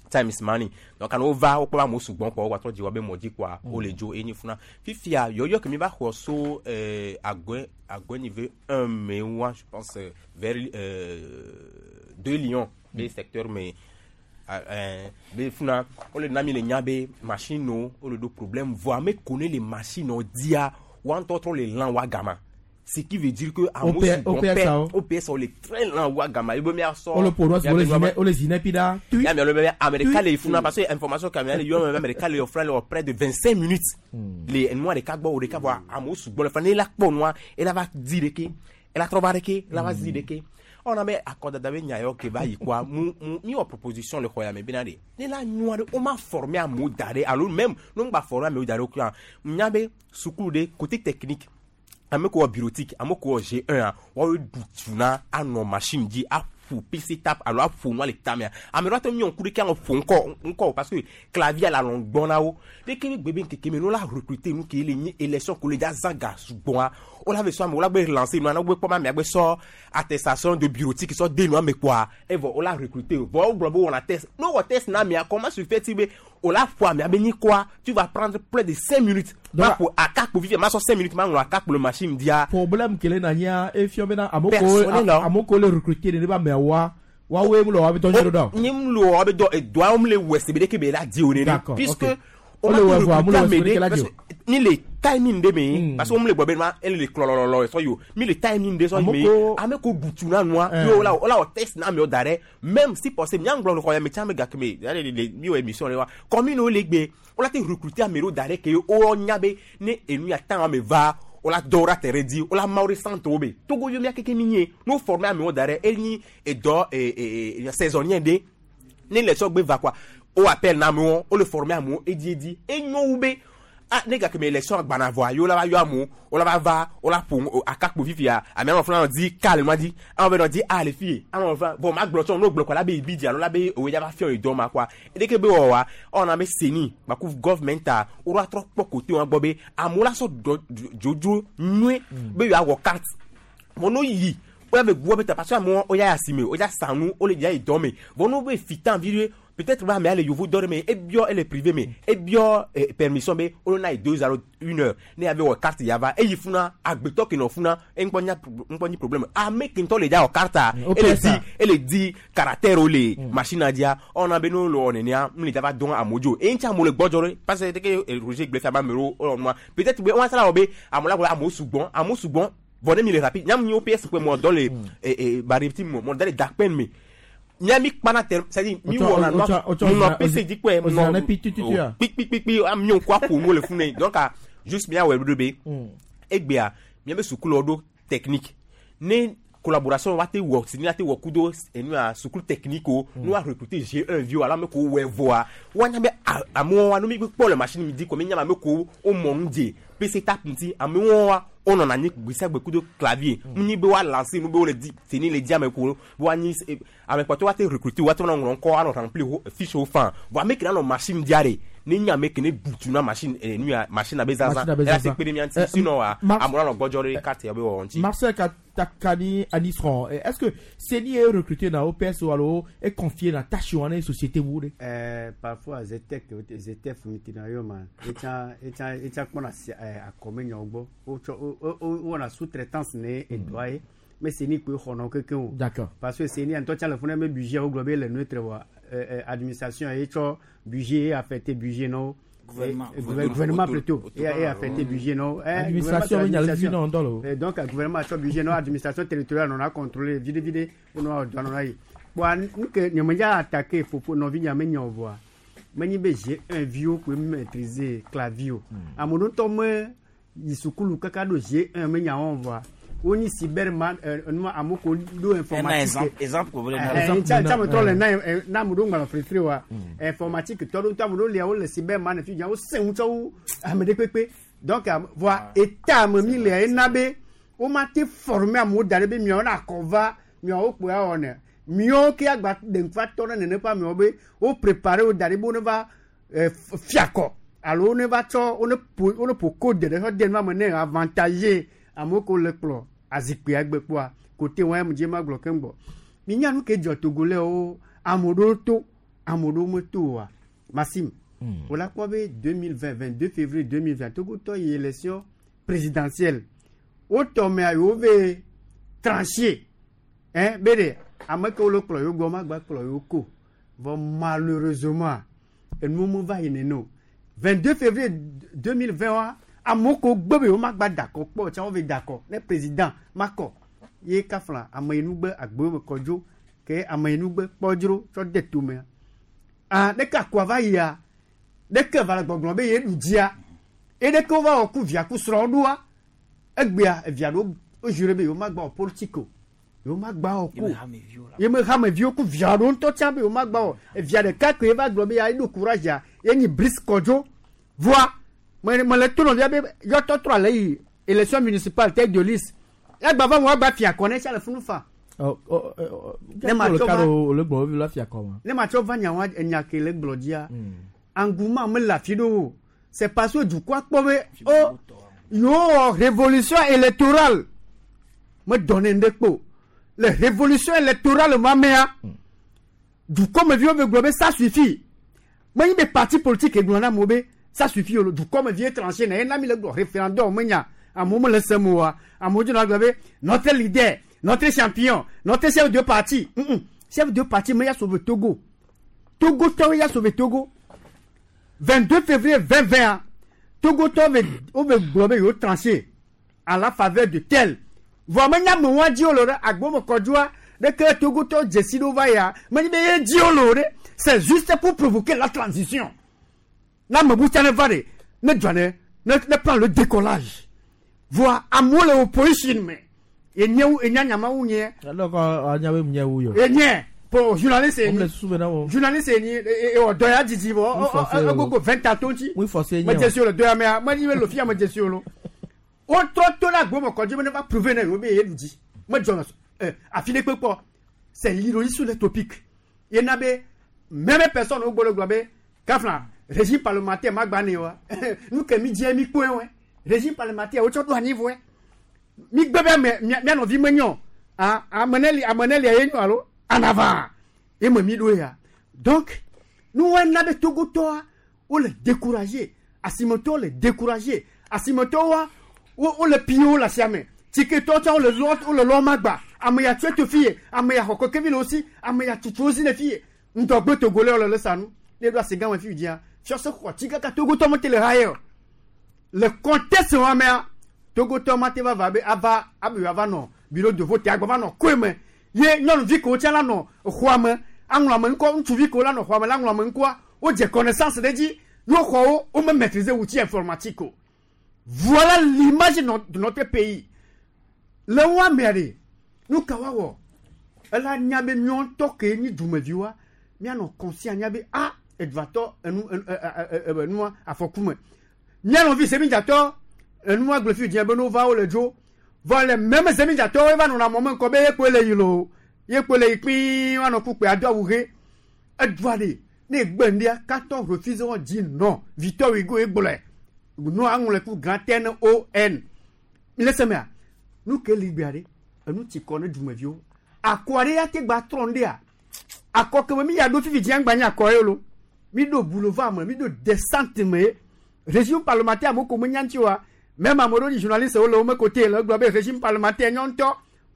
time is money donc ane wova wokpɔ be amewo sugbɔn kpɔ wogatrɔ dzi woabe mɔ dzi kpoa wole dzo eye nye funa fifia yɔyɔ ke mi va xɔ so euh, agɔe agɔe niveau un me wa je pense euh, vers euh, deux lions be secteur me euh, be funa wole na mi le nya be machine wo wole ɖo problème vɔ ame ko ne le machine wo dia wa ŋutɔ trɔ le lã wa gama ce qui veut dire que amewo sugbɔn pɛ O P S wo le très lã wa gama ebe mia sɔ Wole ƒo ɖo wole zinɛ wole zinɛ pi ɖa. Tui. ya mi alo be ame ɖeka le funa parce que information ka mi ale yɔ me be ame ɖeka le funa le wɔ près de vingt cinq minutes le enua ɖeka gbɔ wo ɖeka vɔ amewo sugbɔ le funa ne ela kpɔ nua ela va di ɖeke ela trɔ va ɖeke ela va zi ɖeke ɔna be akɔdada be nya yɔ ke va yi kɔa mu mu mi wɔ proposition le xɔ ya me bena de ne la nyua ɖe wo ma former amewo da ɖe alo même ne ŋgba former amewo da ɖe o kura nya be sukulu ɖe côté technique ame ko wɔ bureautique ame ko wɔ G un a woawoe ɖu tu na anɔ machine dzi aƒo P C tap alo aƒo nua le tamea ame ɖewo ate ŋu miɔ ŋku ɖeke anɔ ƒo ŋkɔ ŋkɔ o parce que clavier le alɔ gbɔ na wo ɖeke be gbe be ŋkeke me ne wola recruter nu ke le nyi élection ko le dza zã ga sugbɔa wola ve sɔ ame wola gbe lancer nua ne wo gbe kpɔ be amea gbe sɔ attestation de bureautique sɔ de nua me kpoa evɔ wola recruter o vɔ wogblɔ be wowɔna test ne wowɔ test na amea comment se fait-il be wola ƒo amea be nyikɔa tu vas prendre près de cinq minutes ma ƒo akakpo fifia ma sɔ cinq minutes ma ŋlɔ akakpo le machine dia Problème kele na nyia efiɔ bena amewo ko Personnel la. amewo ko le recruter ne be ameawoa woawoe mu le woabe dɔ nyuie ɖo ɖa o. nye mu le wɔ be dɔ edɔa mu le wɔ sebe ɖeke be la di o nene D'accord, puisque ok. o Wole ma wɔ vɔa, mu le wɔ ame sebe ɖeke ɖe la di parce o. que ni le timing ɖe me parce que wo mu le gbɔ be ma ele le klɔlɔlɔlɔ sɔ yi o mi le timing ɖe sɔ yi me Ame ko- ame ko gutu na nua Eh. ye wola wola wɔ test na amewo da ɖe même si possible miaŋgblɔ le xɔ ya me tsã me gake me ya le le mi wɔ émission ɖe wa commune wo le gbe wola te recruter ame ɖewo da ɖe ke wo nya be ne enu ya tan ame va wola dɔ wo ɖe terrain dzi wola ma wo ɖe centre wo be togo yo mia keke mi nye ne wo former amewo da ɖe enyi edɔ e e e saisonnier ɖe ne le sɔ gbe va quoi o appel na amewo wo le former amewo edi edi enyo wu be Ah, ne gake me élection agbana vɔa yewo la va yɔ amewo wo la va va wo la ƒo akakpo fifia ame anɔ funa nɔ di ka le nua dzi ame be nɔ di a le fie ame nɔ funa bon ma gblɔ tsɔ n'o gblɔ kɔ la be ibi dzi alo la be oye dza va fiɔ yi dɔ ma quoi edeke be wɔwa ɔna be seni gbaku government wo la trɔ kpɔ kote wɔn gbɔ be amewo la sɔ dɔ dzodzo nyuie be yewoawɔ carte vɔ n'o yi wo ya be gu be ta parce que amewo wo ya yi asime wo ya sa nu wo le ya yi dɔ me vɔ n'o be fitan vi ɖe peut-être be amea le yovo dɔ ɖe me ebiɔ ele privé me ebiɔ eh, permission be wo na yi deux alo une heure ne ya be wɔ carte ya va eyi funa agbetɔ ke nɔ funa eŋkpɔ nya ŋkpɔ nyi problème ame ke ŋutɔ le dza wɔ carte ele di ele di caractère wo le machine dzia ɔna be n'o le wɔ nenea mu le dza va dɔn amewo dzo eye ŋuti amewo le gbɔdzɔ ɖe parce que teke Roger gblẽ fia be amewo wɔ nua peut-être be wɔn asala wɔ be amewo la gblɔ amewo sugbɔn amewo sugbɔn vɔ ne mi le rapide nyamu nyi O P S ƒe mɔ dɔ le eh bariti mɔ mɔ da le dakpɛn me nya mi kpana tɛ c'est à dire mi wɔna nɔ P C dzi kpɛ nɔ kpikpikpi mi ŋku aƒo nuwo le funu donc juste mia wɔ ɖo be egbea miabe sukulu ɖo technique ne collaboration wa te wɔ si ni te wɔ kudo enua sukulu technique o nu wa recruter G un viwo alo ame ko wɔ vɔa woanya be amewo wa nu mi kpɔ le machine mi di ko mi nya ame ko wo mɔ nu dze P C tape ŋuti amewo wa wonɔna anyi gbe sia gbe kudo clavier nu nyi be wa lancer nu be wole di seni le di ame ko be woanyi ame kpɔtɔ wa te recruter wa te nɔ ŋlɔ ŋkɔ anɔ remplir fiche wo fan vɔ ame ke na nɔ machine dia de ne nye ame ke ne butu na machine eh, nu ya machine abe zazã eya te kpe ɖe mía ŋuti sinon wa amewo la nɔ gbɔdzɔ ɖe carte ya be wɔwɔ ŋuti. Marcel Katakani Anisron, est-ce que CENI est recruté dans O P S ou alors est confié dans tâche ou en société vous? Euh, parfois Zetec Zetef mitina yo ma etsa etsa etsa kpɔna akɔme nyawo gbɔ wotsɔ wowɔna sous-traitance ne edɔa ye mais CENI koe xɔnɔ kekeŋ o. D'accord. Parce que CENI ŋutɔ tsa le funu be budget wo gblɔ be le neutre wa administration ye tsɔ budget ye affecté budget nɔwo. Gouvernement. Gouvernement plutôt. Et, et affecté budget non. Administration, il y a le non dans le. Donc gouvernement a budget non, administration territoriale on a contrôlé vite vite on a on a bon que ne me attaqué fofo nɔvi nya me nya voa. Menyi be G un viwo koe maîtriser clavier o. Ame ɖewo ŋutɔ me yi sukulu kaka ɖo G un me nya wɔm voa. Wonyi cyberman numa amewo ko ɖo informatique. Exemple ko wole na. Tsa tsa me trɔ le na na ame ɖewo ŋgbalẽ frifri wa. Informatique tɔ ɖo ŋutɔ ame ɖewo lia wole cyberman fi dza wo sẽ ŋutɔ wu ame ɖe kpekpe. Donc voa eta me mi lia ena be woma te former amewo da ɖe be miawo na akɔ va miawo kpoe awɔ ne miawo ke agba ɖe ŋku atɔ ɖe nene ƒe amewo be wo préparer wo da ɖe be wo ne va fiakɔ alo wo ne va tsɔ wo ne ƒo wo ne ƒo code ɖe tsɔ de nua me ne avantage amewo ko le kplɔ azikpuia gbe kpɔa kote wɔn ya dzi ma gblɔ keŋ gbɔ minya nu ke dzɔ Togolais wo ame ɖewo to ame ɖewo meto oa Maxime wòle akpɔ be deux mille vingt, vingt-deux février deux mille vingt Togotɔ yi élection présidentielle wotɔ mea yewo ve tranché hein be ɖe ame kewo le kplɔ yewo gbɔ ma gba kplɔ yewo ko vɔ malheureusement enuwo me va yi nene o. vingt-deux février deux mille vingt wa amewo ko gbe be yewo ma gba dakɔ kpɔ tsã wo ve dakɔ ne président ma kɔ ye kafla ameyinugbe agbewo me kɔdzo ke ameyinugbe kpɔdzro tsɔ de tomea ah ɖeke akua va yia ɖeke va le gbɔgblɔ be ye ɖu dzia ye ɖeke wova wɔ ku via ku srɔ̃ ɖoa egbea evia ɖewo wo juré be yewo ma gba wɔ politique o yewo ma gba wɔ ko ye me hameviwo ku via ɖewo ŋutɔ tsã be yewo ma gba wɔ evia ɖeka koe va gblɔ be ya eɖo courage ya ye nyi Brice Kɔdzo voa me me le to nɔvia be yɔtɔ trɔ ale yi élection municipale tête de liste yagba va mo agba fia kɔ ne tsa le funu fa. Ne ma tsɔ va le gbɔ vi la fia kɔ ma. Ne ma tsɔ va nyawa enya ke le gblɔ dzia engouement me le afi ɖewo c'est parce que dukɔa kpɔ be o yewo wɔ révolution électorale me dɔ ne ŋɖe kpo le révolution électorale ma mea dukɔmeviwo be gblɔ be ça suffit menyi be parti politique gblɔ na amewo be ça suffit o dukɔmevi étranger na ye na mi le gblɔ référendum menya amewo mele sem oa amewo dzona gblɔ be notre leader, notre champion, notre chef de parti mm -mm. Chef de parti me ya sauver Togo Togo tɔwo ya sauver Togo vingt-deux février deux mille vingt Togo tɔwo be wo be gblɔ be yewo tranché à la faveur de tel vɔ menya ame wa dzi wo le ɖe agbome kɔdzoa ɖeke Togo tɔwo dzesi ɖo va ya menye be ye dzi wo le o ɖe c'est juste pour provoquer la transition na ame bu tsa ne va ɖe ne dzɔ ne ne ne prend le décollage voa amewo le opposition me enye enya nyamawu nye. Alɔ kɔ anya be nye wu yɔ. Enye Pour journaliste On me susu bena wo. Journaliste ni e o doya didi bo. Oui, forcé, O gogo vingt ans tonti. Oui, forcé, Me nyen. jesi le doya me me ni me lo fia me jesi lo. O tro to la gbo mo konji me ne va prouver na yo be ye di. Me jona eh afile pepo. C'est l'ironie sur les topics. Il y a même personne au bolo globe kafla régime parlementaire magbane wa. Nous que mi di mi point ouais. Régime parlementaire o tro do niveau ouais. Mi gbebe me mi no vi menyo. Ah ameneli ameneli ayenyo alo en avant. Et me mi do ya. Donc nous on a Togo toa on le décourager. Asimoto le décourager. Asimoto wa on le pio la siame. Tiketo on le lot on le lomagba. Ameya tué te fille, ameya hokokeville aussi, ameya tutu aussi les filles. Ndogbe togolais le sanu. Les doigts c'est gamin fille dia. Sur ce quoi tigaka Togo to monte le rayer. Le contexte wa mea Togo to mate va va be ava abu ava non bureau de vote agba va non kweme. Ye non vi ko tcha la non khwame anwla me nko ntu vi ko la non khwame la anwla me nko o je connaissance de di yo khwo o me maîtriser outil informatique. Voilà l'image de notre pays. Le wa mere nous kawawo ela nyabe mion toke ni dumeviwa mia no conscient nyabe a edvato enu enu afokume mia no vi semi jato enu aglofi di ebe no va o le jo va le même semi jato e va no na moment ko be ye le yilo ye ko le pin wa no kupe ado awure edvade ne gbendia quatorze refusent dit non Victor Hugo e gbole nous avons le coup grand N O N laissez-moi nous que libérer nous ti connais du mevio akware ya te gba tronde a akoke mi ya do fifi dian gba nya koyo lo mi do boulevard me mi do descente me régime parlementaire mo ko mo nyanti wa même amoro di journaliste o lo me côté le globe régime parlementaire nyonto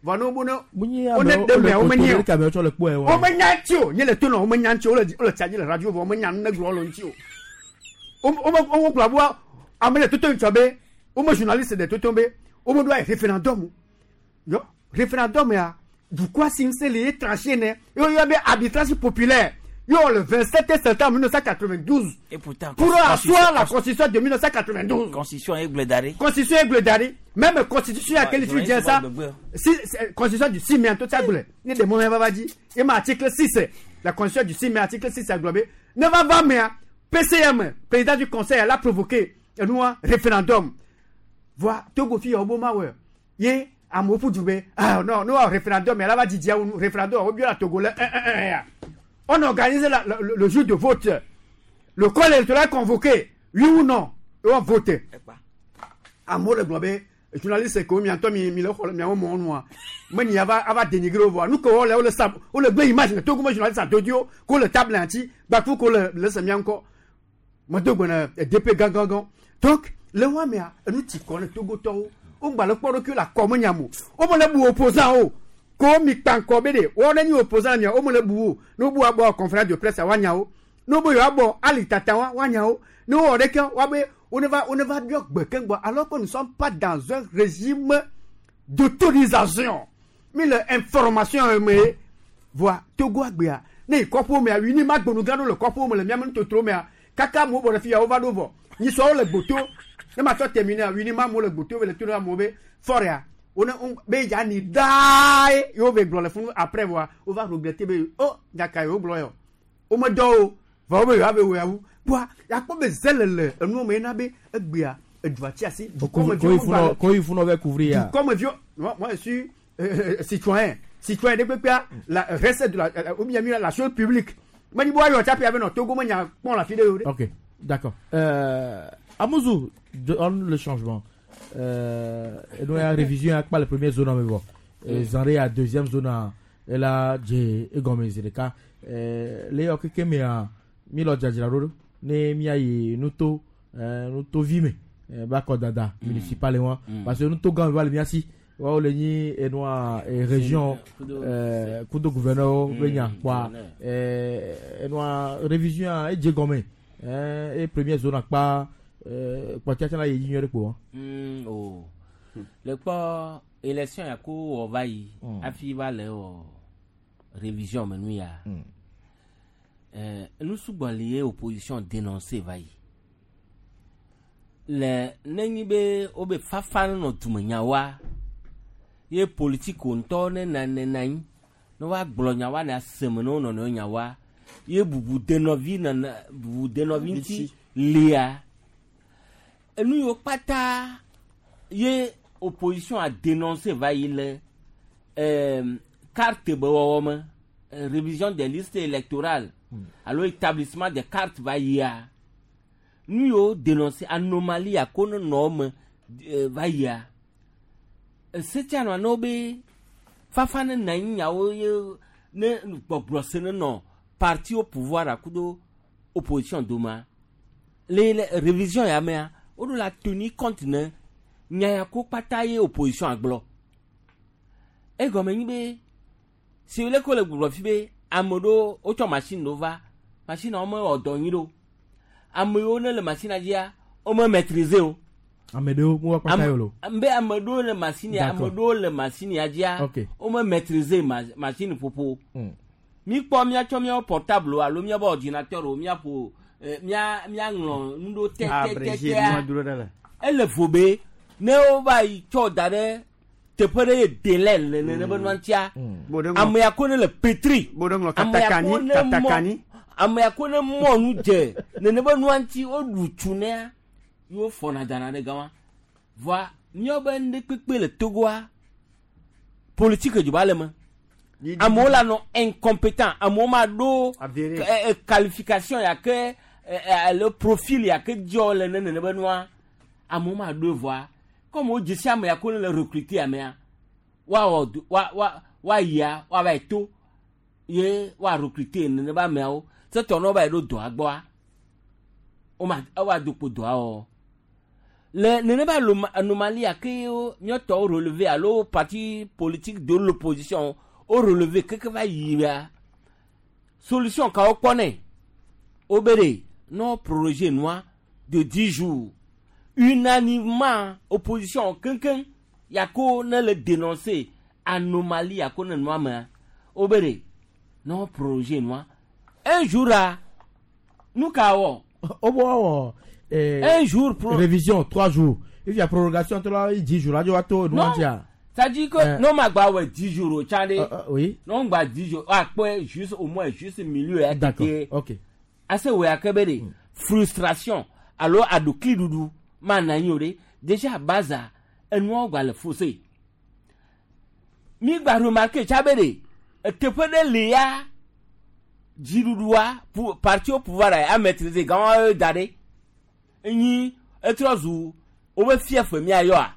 vano bono on est de me o me nyi o o me nyanti o nye le to no o me nyanti o le o le tsaji le radio o me nyan ne glo lo nti o o o o globo amele toto nchobe o me journaliste de toto be o me do référendum yo référendum ya du quoi c'est les tranché né yo yo arbitrage populaire yo le vingt-sept septembre mille neuf cent quatre-vingt-douze et pourtant pour asseoir la constitution de mille neuf cent quatre-vingt-douze constitution Aigle d'Aré constitution Aigle d'Aré même constitution à quel tu dis ça si constitution du six mai tout ça bleu ni de mon va dire et ma article six la constitution du six mai article six a globé ne va pas mais P C M président du conseil elle a provoqué un référendum voit Togo fi Obama ouais yé amofu dube ah non nous référendum elle va dire référendum au bien la Togolais on organise la, la, le, le jour de vote le corps électoral convoqué oui ou non et on vote amo le globé journaliste ko mi anto mi mi le xol mi mo noa mais ni ava ava dénigrer au voir nous ko le le sab o le image le Togo journaliste dodio ko le table anti ba tout ko le le semi encore mo dogo na D P gangangan donc le wa me nous ti ko le Togo to o gba le kpɔɖo ke le akɔme nyamo o me le bu opposant o ko mi kpa ŋkɔ be de wo ne nyi opposant mia o me le bu o ne wo bu abɔ conférence de presse wa nya o ne wo be yewoa bɔ ali tata wa wa nya o ne wo wɔ ɖeke wa be on ne va on ne va biɔ gbe keŋgbɔ alors que nous sommes pas dans un régime d'autorisation mi le information me voa Togo agbea ne yi kɔƒewo mea wini ma gbonu gã ɖo le kɔƒewo me le miame nutotro mea kaka amewo bɔ ɖe fi ya wo va ɖo vɔ nyisɔwo le gboto ne ma tɔ terminer wini ma mo le gboto le to na mo be foria on on be ya ni dai yo be gblɔ le funu après voir on va regretter be oh nyaka yo gblɔ yo o me do va be ya be wo ya wu boa ya kpɔ be zelele enu me na be egbea edua ti asi ko il faut nous couvrir comme vieux moi moi je suis euh, citoyen citoyen de pépé la recette de la ou bien la chose publique mais ni boa yo tape avec notre Togo nya pon la fille. OK, d'accord. Euh Amouzou, on le changement. Euh, et nous, la révision à la première zone, mais bon. Zanré à deuxième zone, et là, j'ai égommé le cas. Les ok, mais mi lo djadjiraro, ne mi ayi nuto, nuto vime, bako dada, municipal et moi, parce que nuto gan va le miasi, wa le ni et noa région, kudo gouverneur, venya quoi, et noa révision et djegomé, et première zone à quoi. Kpɔtsia la yi nyuie kpo. O le kpɔ élection ya ko wɔ va yi hafi va le wɔ révision me nu ya nu sugbɔ li ye opposition dénoncé va yi le nenyi be wo be fafa nɔ dumenyawoa ye politiko ŋutɔ ne na ne na anyi Ne woagblɔ nya wa ne aseme ne wo nɔnɔewo nya wa ye bubu denɔvi nana bubu denɔvi ŋuti lia enu yiwo kpata ye opposition a dénoncé va yi le euh, carte be wɔwɔ me euh, révision des listes électorales alo établissement des cartes va yia nu yiwo dénoncé anomalie ya ko ne nɔ me euh, va yia esetsia nɔ ne wo be fafa ne na anyi nyawo ye ne gbɔgblɔ se ne nɔ parti au pouvoir akudo opposition doma le le révision ya mea woɖo la tenir compte ne nya ya ko kpata ye opposition agblɔ egɔme nyi be si le ko le gblɔ fi be ame ɖewo wotsɔ machine ɖewo va machine wo mewɔ dɔ nyui ɖo ame yiwo ne le machine dzia wo me maîtriser o ame ɖewo mu wa kpata yio lo. Ame be ame ɖewo le machine ya ame D'accord. ɖewo le machine ya dzia Ok. wo me maîtriser ma machine ƒoƒo Mm. mi kpɔ míatsɔ míawo portable o alo míaƒe ordinateur o míaƒo eh, mía míaŋlɔ nu ɖewo abrégé tɛtɛtɛa nua dro ɖe le ele vo be ne wova yi tsɔ da ɖe teƒe ɖe ye délai le nene be nua ŋutia ame ya ko ne le pétri ŋlɔ ame ya katakani, ko ne mɔ katakani. ame ya ko ne mɔ nu dze nene be nua ŋuti woɖu tsu nea ye wofɔna dana ɖe gama voa míawo be nu ɖe kpekpe le Togoa politique dzoba le me amewo la nɔ incompétent amewo ma ɖo eh, eh, qualification ya ke eh, eh, alo profil ya ke dzɔ le ne nene be nua amewo ma ɖo voa comme wo dzesi ame ya ko ne le recruter amea woawɔ do wa wa woayia woava yi to ye woa recruter nene be ameawo setɔ ne wova yi ɖo dɔa gbɔa woma woado kpo dɔa wɔwɔ le nene be aloma- anomalie ya ke wo míatɔwo relever alo parti politique de l'opposition wo relever keke va yia solution kawo kpɔ nɛ wo be ɖe ne wo proroger nua de dix jours unanimement opposition keŋkeŋ yako ne le dénoncer anomalie yako ne nua mea wo be ɖe ne wo proroger nua un jour a nu ka wɔ o bɔ wɔ. Eh, Un jour pro- révision trois jours et puis la prorogation to la dix jours la to Non. nu tia. Ça dit que Eh. non ma gba wɛ dix jours o tsa de. Euh, euh, oui. Non gba dix jours akpɛ juste au moins juste milieu ya D'accord. tete. Ok. Ase wɛ akɛ bɛ de frustration alo aɖukli ɖuɖu ma na anyi o de déjà baza enuawo gba le faussé. Mi gba remarqué tsa bɛ de eteƒe ɖe li ya dziɖuɖua pou parti au pouvoir a maîtriser gãwo da ɖe enyi etrɔ zu wobe fief miayɔa.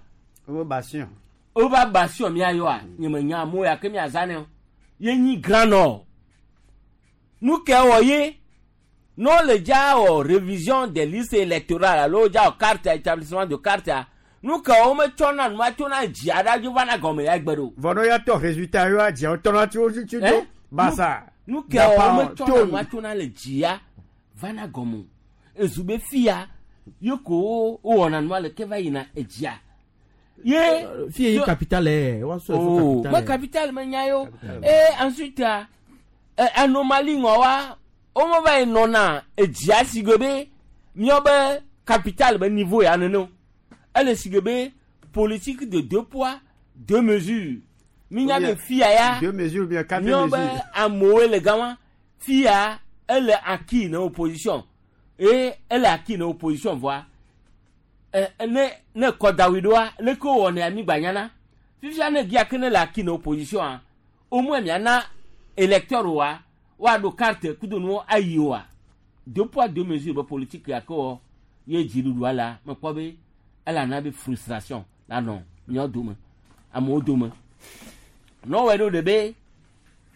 wobe bastion. wobe bastion miayɔa nye me nya amewo ya ke miazã ne o ye nyi Grand Nord nu ke wɔ ye ne wole dza wɔ révision des listes électorales alo dza wɔ carte établissement de carte nu ke wo metsɔna nua tsona dzia ɖa dzo vana gɔme ya gbe ɖo. vɔ ne ya tɔ résultat yɔ dziawo tɔna tso tso tso Eh? basa. nu ke wo metsɔna nua tsona le dzia vana gɔme o ezu be fia ye ko wo wowɔna nua le ke va yina edzia ye. Fie ye capitale eh, wa so Oh, capitale. me capital me nya yo. Et ensuite, eh, anomalie ŋɔ wa, wo me va yi nɔna edzia si ge be míawo be capital be niveau ya nene o. Ele si ge be politique de deux poids, deux mesures. Mi nya be fia ya. Deux mesures ou bien quatre Míawo be mesures. amewoe le gama. Fia ele acquis na opposition. Et ele acquis na opposition voa. Eh, ne ne kɔdawi ɖoa leke wowɔnɛ ami gbanyana fifia ne gia ke ne le acquis na opposition a au moins miana électeur wa woaɖo carte kudo nuwo ayi oa deux poids deux mesures be politique ya ke wɔ ye dziɖuɖua la mekpɔ be ele ana be frustration la nɔ míawo dome amewo dome ne wowɔe ɖo ɖe be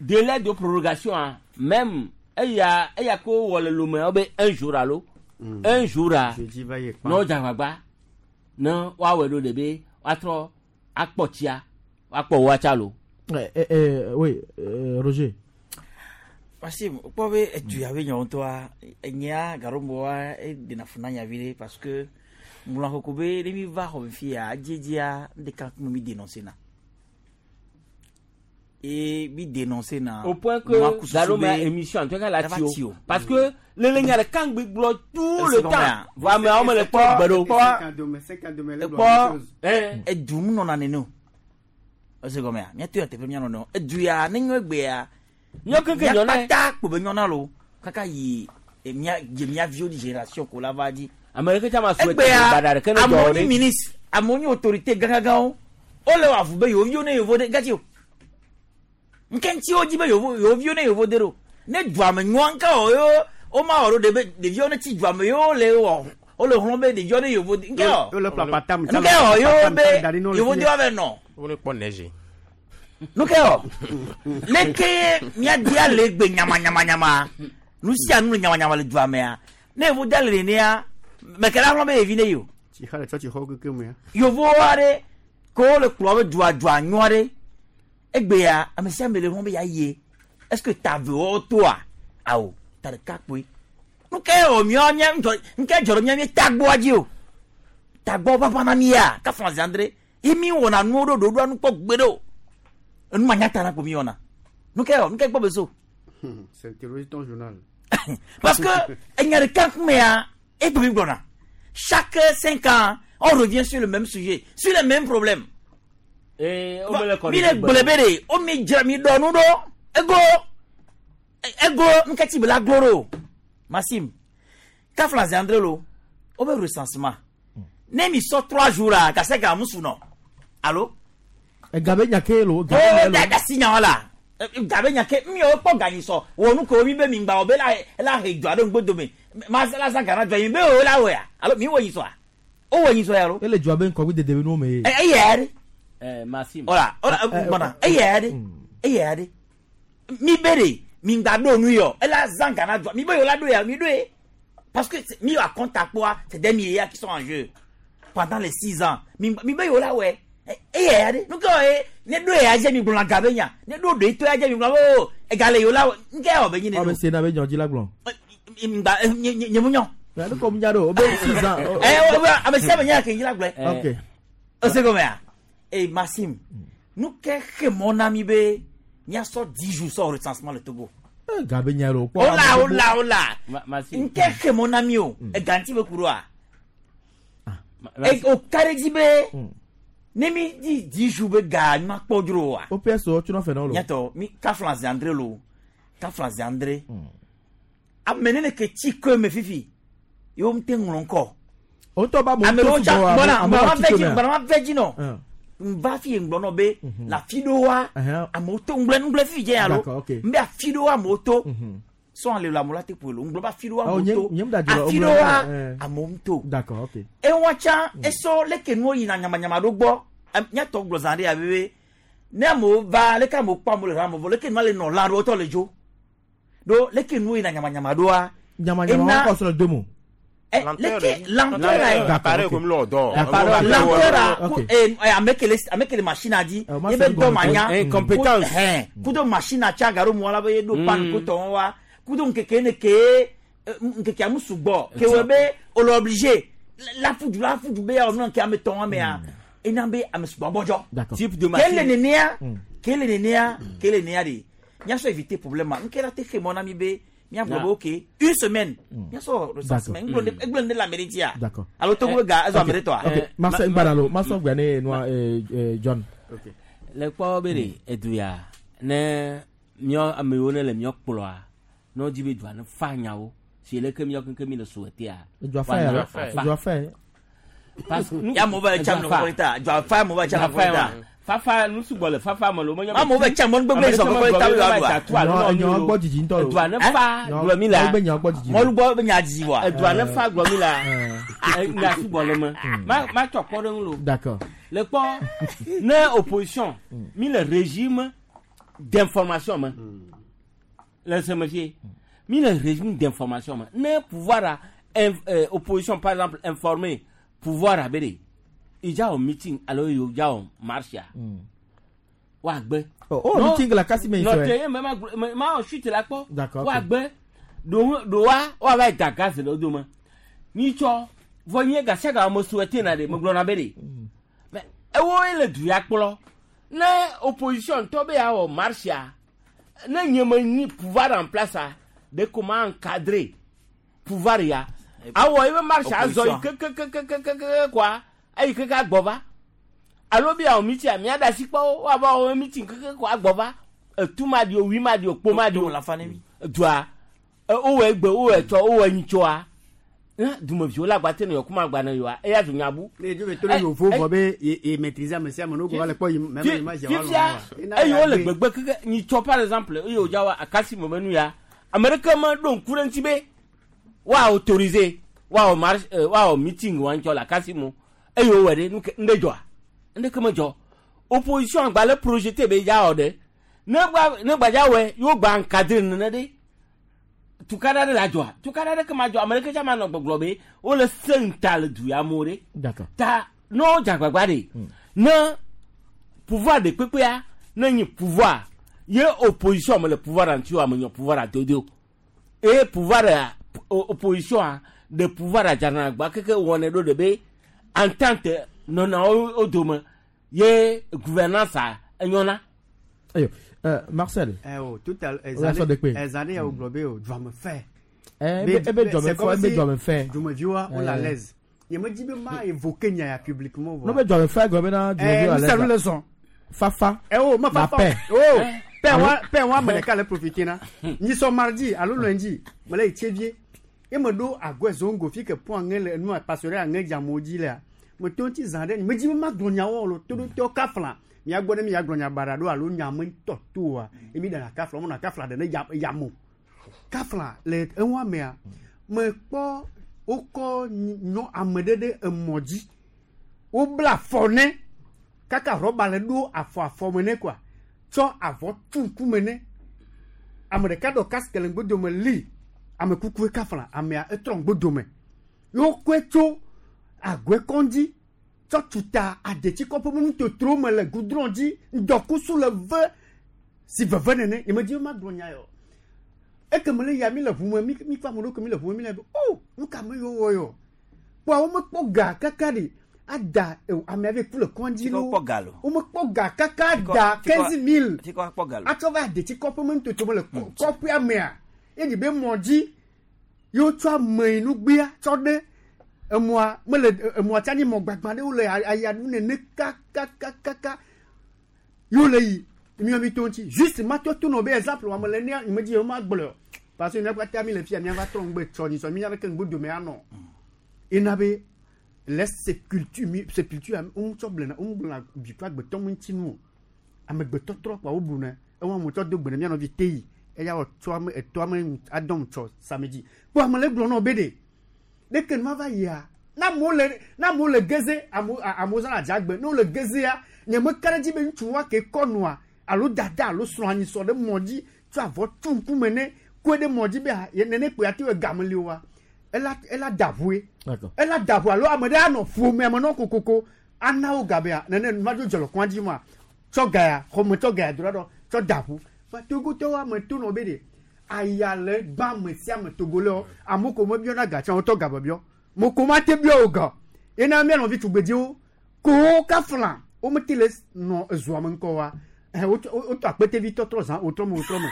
délai de prorogation a même eya eya ke wowɔ le lome wo be un jour alo un jour a Jeudi va yi kpa. ne wodze agbagba ne woawɔe ɖo ɖe be woatrɔ akpɔ tsia woakpɔ woatsa lo. Eh, eh, eh, oui, euh, Roger. Parce que kpɔ be edu ya be nyawo ŋutɔa enyea gaɖomboa eɖena fu na nya vi ɖe parce que ŋlɔ koko be ne mi va xɔ me fia adzedzia ŋɖeka kuma mi dénoncer na et mi dénoncer na au point que nua kususu Galoma be- émission en tout cas la Dava tio tio. parce que le le nya ɖeka ŋgbe gblɔ tout le Est-ce temps qu'on a- vɔ ameawo mele kpɔ gbe ɖo. Ekpɔ la edu mu nɔna nene o Ese gɔmea míato ya teƒe míanɔ nɔ edu ya ne nyɔ egbea Nyɔ keke nyɔ na ye. míakpata kpo be nyɔna lo kaka yi e, mía dze mía viwo di génération ko la va dzi ame ɖeke tsã ma souhaité egbea baɖa ɖeke ne dzɔ amewo o nye ɖe. ministre amewo nye autorité gãgãgãwo wole wɔ avu be yewo viwo ne yevo de gatsi o nke ŋuti wodzi be yewo yewo viwo ne yevo de ɖo ne dua me nyɔa ŋka wɔ yewo woma wɔ ɖo ɖe be ɖeviwo ne tsi dua me yewo le wɔ wole hlɔ̃ be ɖeviwo ne yevo de nke wɔ Wole ƒle apatam, nke wɔ yewo be da ɖi na wo le yevo fi de ya. wa vɛ nɔ Wone kpɔ neige. nu ke wɔ leke míadia le gbe nyamanyamanyama nu sia nu le nyamanyama le dua mea ne yevo de le nenea meke la hlɔ̃ be yevi ne yi o Tsi xa le tsɔtsixɔwo keke me ya. yovo aɖe ke wole kplɔ be dua dua nyɔ aɖe egbea ame sia ame le hlɔ̃ be yeaye est ce que ta ve wɔwɔ toa awo ta ɖeka kpoe nu ke wɔ miɔ mía ŋutɔ nke dzɔ ɖe mía mía tagbɔa dzi o tagbɔ ʋaʋã na mía kafla zandre ye mi wɔna nuwo ɖo ɖoɖoa nu kpɔ gbe ɖe o enu ma nyata na ko mi wɔna nu ke wɔ nu ke gbɔ be so C'est terroriste ton journal. parce que enya ɖeka ŋkumea egbe mi gblɔna chaque cinq ans on revient sur le même sujet sur les mêmes problèmes Ee, wo mele kɔ mi le gblẽ be ɖe wo mi dzra mi ɖɔ nu ɖo ego ego nketi be la glo ɖo Maxime kafla zandre lo wo be recensement ne mi sɔ trois jours la kase ga musu nɔ alo Ega be nya ke lo. o da da si nya wa la gabe nya ke mi wo kpɔ ganyi sɔ wɔ nu ko mi be mi gba wo be la la he dzɔ aɖe ŋgbo dome ma la zã gana dzɔ yi be wo la wɔya alo mi wɔ nyi sɔa o wɔ nyi sɔ ya lo Ele dzɔa be ŋkɔgbi dede be nuwo me ye. ɛ eya ɖe Eh, Maxime. Voilà, voilà, gbɔna eya ɖe eya ɖe mi be ɖe mi gba ɖo nu yɔ ela zã gana dzɔ mi be yewo la ɖo ya mi ɖo ye parce que c'est- mi wa compte à quoi c'est des milliards qui sont en jeu pendant les six ans mi mi be yewo la wɔe eya ɖe nu ke wɔ ye ne ɖo ya dze mi gblɔna ga be nya ne ɖo ɖe to ya dze mi gblɔ be o ega le yewo la wɔ nke wɔ be nyi ne Ɔ be se na be nyɔ dzi la gblɔ. ŋgba nye nye nye mu nyɔ Mɛ ne kɔ mu nya ɖo o be six ans. ɛ o be ame sia ame nya ke nyi la gblɔe Ok. ese gɔmea e Maxime nu ke xe mɔ na mi be míasɔ dix jours sɔ recensement le Togo Ega be nya lo. ola ola ola Maxime. nke xe mɔ na mi o ega ŋuti be ku ɖoa E- o ka ɖe dzi be ne mi di dix jours be ga mi ma kpɔ dzro oa O PS o tso fɛ na wo lo. nyatɔ mi kafla zandre lo kafla zandre ame ne ne ke tsi ke me fifi yewo ŋute ŋlɔ ŋkɔ O ŋutɔ ba mo ame to ɖewo tsa sugbɔ wa, gbɔna ame ŋgbɔna ba ma tsi vɛ to dzi mea. ŋgbɔna ma vɛ dzi nɔ Ɛn. nva fi ŋgblɔ nɔ be le afi ɖewoa Ɛhɛn. amewo to ŋgblẽ ŋgblẽ fi dze alo D'accord, ok. n be afi ɖewoa amewo to sɔn le lo amewo la te ƒoe lo ŋgblɔ be afi ɖewoa Awɔ, amewo nye- to nye mu da dzro, afi ŋgblɔ- ɖewoa ɛn. amewo to D'accord, ok. ewa tsã esɔ leke nuwo yina nyamanyama ɖo gbɔ Em, míatɔ gblɔ zã ɖe ya be be ne amewo va leke amewo kpɔ amewo le hã amewo vɔ leke nua le nɔ lã ɖo wotɔ le dzo ɖo leke nuwo yina nyamanyama ɖoa Nyamanyama ena- wɔn kɔ sɔrɔ domo. ɛ, leke lenteur la ye Appareil comme l'ordre. lenteur la Ok. ku- eh, eh, ame ke le ame ke le machine a dzi ma ye be se dɔ ma nya Eh, compétence. Ku- hɛn, kudo machine a tsa garo mɔ la be ye ɖo pan ko tɔn wa kudo ŋkeke ne ke eh, ŋkekea mu sugbɔ ke wɔ be o le obligé la fudu la fudu be ya wɔ nɔ ke ame tɔn amea ena be ame sugbɔ gbɔdzɔ D'accord. Type de ke le machine. nenea ke le nenea ke le nenea de míasɔ éviter problème ma nke la te xe mɔ na mi be míagblɔ Na. be ok une semaine míasɔ recensement D'accord. ŋgblɔ ne egblɔ ne le ame ɖe dzia D'accord. alo togo be ga ezɔ ame ɖe tɔa. Ok. Marcel ŋgbada lo. Masɔ gbɛ ne nua eh, eh, John. Le kpɔ be ɖe edu ya ne míɔ ame yiwo ne le míɔ kplɔa ne wodzi be dua ne fa nyawo si leke míɔ keŋkeŋ mi le souhaitea. Edua fa ya lo. Edua fa ye. Parce que Ya amewo va tsa Edua nu fa. kɔkɔlita dzɔ afa amewo va tsa nu Edua fa kɔkɔlita. ya. Fafa nu sugbɔ le fafa me lo menye. Amewo va tsa mɔnu gbegblẽ zɔ kɔkɔlita be yewoaɖua. Nyɔ- nyɔ gbɔ dzidzi ŋutɔ lo. Edua ne fa Nyɔ- gblɔ mi la. nyɔ be nyɔ gbɔ dzidzi lo. Mɔlu gbɔ be nya dzidzi wa. Edua ne fa gblɔ mi la. Eh, Nya sugbɔ le me. Ma ma tsɔ kpɔ ɖe ŋu lo. D'accord. Le kpɔ ne opposition mi le régime d'information me le seme fie mi le régime d'information me ne pouvoir a inf- euh, opposition par exemple informer pouvoir a be de idza wɔ meeting alo yewo dza wɔ marche a woagbe. Oh, oh, meeting la kasi me yi nɔte sɔe. ye me ma gblɔ me ma wɔ suite la kpɔ. D'accord, ok. woagbe ɖo ɖowa woava yi da gaz le wo dome nyitsɔ vɔ nye gasiaga me souhaité na de me gblɔna be de mais ewo ye le du ya kplɔ ne opposition tɔ be ya wɔ marche a ne nye me nyi pouvoir en place a de comment encadrer pouvoir ya awɔ ebe marche azɔ yi Opposition. kekekekekeke quoi eyi keke agbɔ va Alo bi awɔ meeting a mia da si kpɔ wo ava wɔ meeting keke ko agbɔ va etu ma di o wi ma di o kpo ma di o dua wowɔ egbe wowɔ etsɔ wowɔ enyitsɔa dumeviwo le agbate ne yɔ kuma agba ne yɔa eya zu nyabu. Ne edzo be to ne yovo vɔ be ye ye maîtriser ame sia ame ne wo va le kpɔ yi mɛ mɛ ma fifia eye wole gbegbe keke nyitsɔ par exemple eye wòdza wa akasi me nu ya ame ɖeke me ɖo ŋku ɖe ŋuti be woa autoriser woawɔ marche woawɔ meeting wa ŋutsɔ le akasi mo eye wowɔ ɖe nu ke ŋɖe dzɔa ŋɖeke me dzɔ opposition agba le projeté be dza wɔ ɖe ne gba ne gbadza wɔe yewo gba encadré nene ɖe tukada ɖe la dzɔa tukada ɖe ke ma dzɔ ame ɖeke tsa ma nɔ gbɔgblɔ be wole se ŋuta le du ya mo ɖe ta ne wodze agbagba ɖe ne pouvoir de kpekpea ne nyi pouvoir ye opposition me le pouvoir ŋuti o ame nyɔ pouvoir adodo eye pouvoir opposition de pouvoir adzana agba keke wɔnɛ ɖo ɖe be entente nɔna wo dome ye gouvernance a enyɔna. Ayo, euh, Marcel. Eh oh, tout à l'heure, ezane ya ogblɔ be o dua me fɛ. Eh, ebe dua me fɛ, ebe dua me fɛ. Dumeviwoa wole à l'aise. Nye me di be ma évoquer nya ya publiquement. No be dua me fɛ gblɔ bena dumeviwo à l'aise. Eh, le zɔn. Fafa. Eh oh, ma fafa. La paix. Oh, paix wa, paix wa me ɖeka le profiter na. Nyi sɔ mardi alo lundi, me le yi Tsévié. Ye me ɖo agɔe zongo fi ke pɔn aŋe le nua passereau aŋe dze amewo dzi lea. Me to ŋuti zã ɖe, me di be ma gblɔ nyawo lo, to ɖo tɔ kafla. Miagbɔ ne miagblɔ nya baɖa ɖo alo nya me ŋutɔ to oa emi ɖana kafla wɔna kafla ɖe ne ya yamo kafla le eŋua mea mekpɔ wokɔ nyɔ ame ɖe ɖe emɔ dzi wobla afɔ ne kaka rɔba le ɖo afɔ afɔ me ne koa tsɔ avɔ tu ŋkume ne ame ɖeka ɖɔ casque le ŋgbodome li ame kukue kafla amea etrɔ ŋgbodome yewokɔe tso agɔe kɔndzi tsɔ tuta adetsikɔƒe me nutotro me le goudron dzi ŋdɔkusu le ve si veve nene nye me dzi be ma gblɔ nya yɔ ekeme le ya mi le ʋu me mi mi kpa ame ɖokui mi le ʋu me mi le be o nu ka me yewo wɔ yɔ kpɔa wo mekpɔ ga kaka ɖi ada amea be ku le kɔndzi lo wo mekpɔ ga kaka da quinze mille atsɔ va adetsikɔƒe me nutotro me le kɔƒea mea ye ɖi be mɔ dzi yewo tsɔ ame yi nugbea tsɔ ɖe emua mele emua tsa ni mɔ gbagba ɖewo le ayaɖu nene kakakakaka yewo le yi miɔ mi to ŋuti juste ma tɔ to nɔ be exemple wa me le nea me dzi yewo ma gblɔ parce que mia katã mi le fia mia va trɔ ŋgbe tsɔ nyisɔ mi nya be ke ŋgbe dome anɔ ena be les sépulture mi sépulture wo tsɔ blena wo gblɔna dukɔ agbetɔ ŋuti nu o amegbetɔ trɔ kpa wo bu ne ewa mo tsɔ do gbe ne mia nɔvi te yi eya wɔ tsɔ ame etɔ ame adɔm tsɔ samedi kpɔ ame le gblɔ nɔ be de ɖeke nu va yia na amewo le na amewo le geze amewo amewo zã adzagbe ne wole gezea nye me ka ɖe dzi be ŋutsu wa ke kɔ nua alo dada alo srɔ̃ anyisɔ ɖe mɔ dzi tsɔ avɔ tu ŋkume ne koe ɖe mɔ dzi be nene kpe ate wɔ game li wa ela ela da ʋue ela da ʋue alo ame ɖe anɔ ƒome ame nɔ kokoko ana wo gabea nene nu va dzo dzɔlɔ kɔa dzi ma tsɔ gaya xɔme tsɔ gaya do ɖa ɖɔ tsɔ da ʋu fa togotɔwo ame to nɔ be de aya le gbã ame sia ame togo le wo amewo ko mebiɔna ga tsã wotɔ ga bebiɔ moko ma te biɔ o ga yena mia nɔvi tugbedziwo ko wo kafla wo mete le nɔ ezoa me ŋkɔ wa ɛ wotɔ wotɔ akpetevi tɔtrɔ zã wotrɔ me wotrɔ me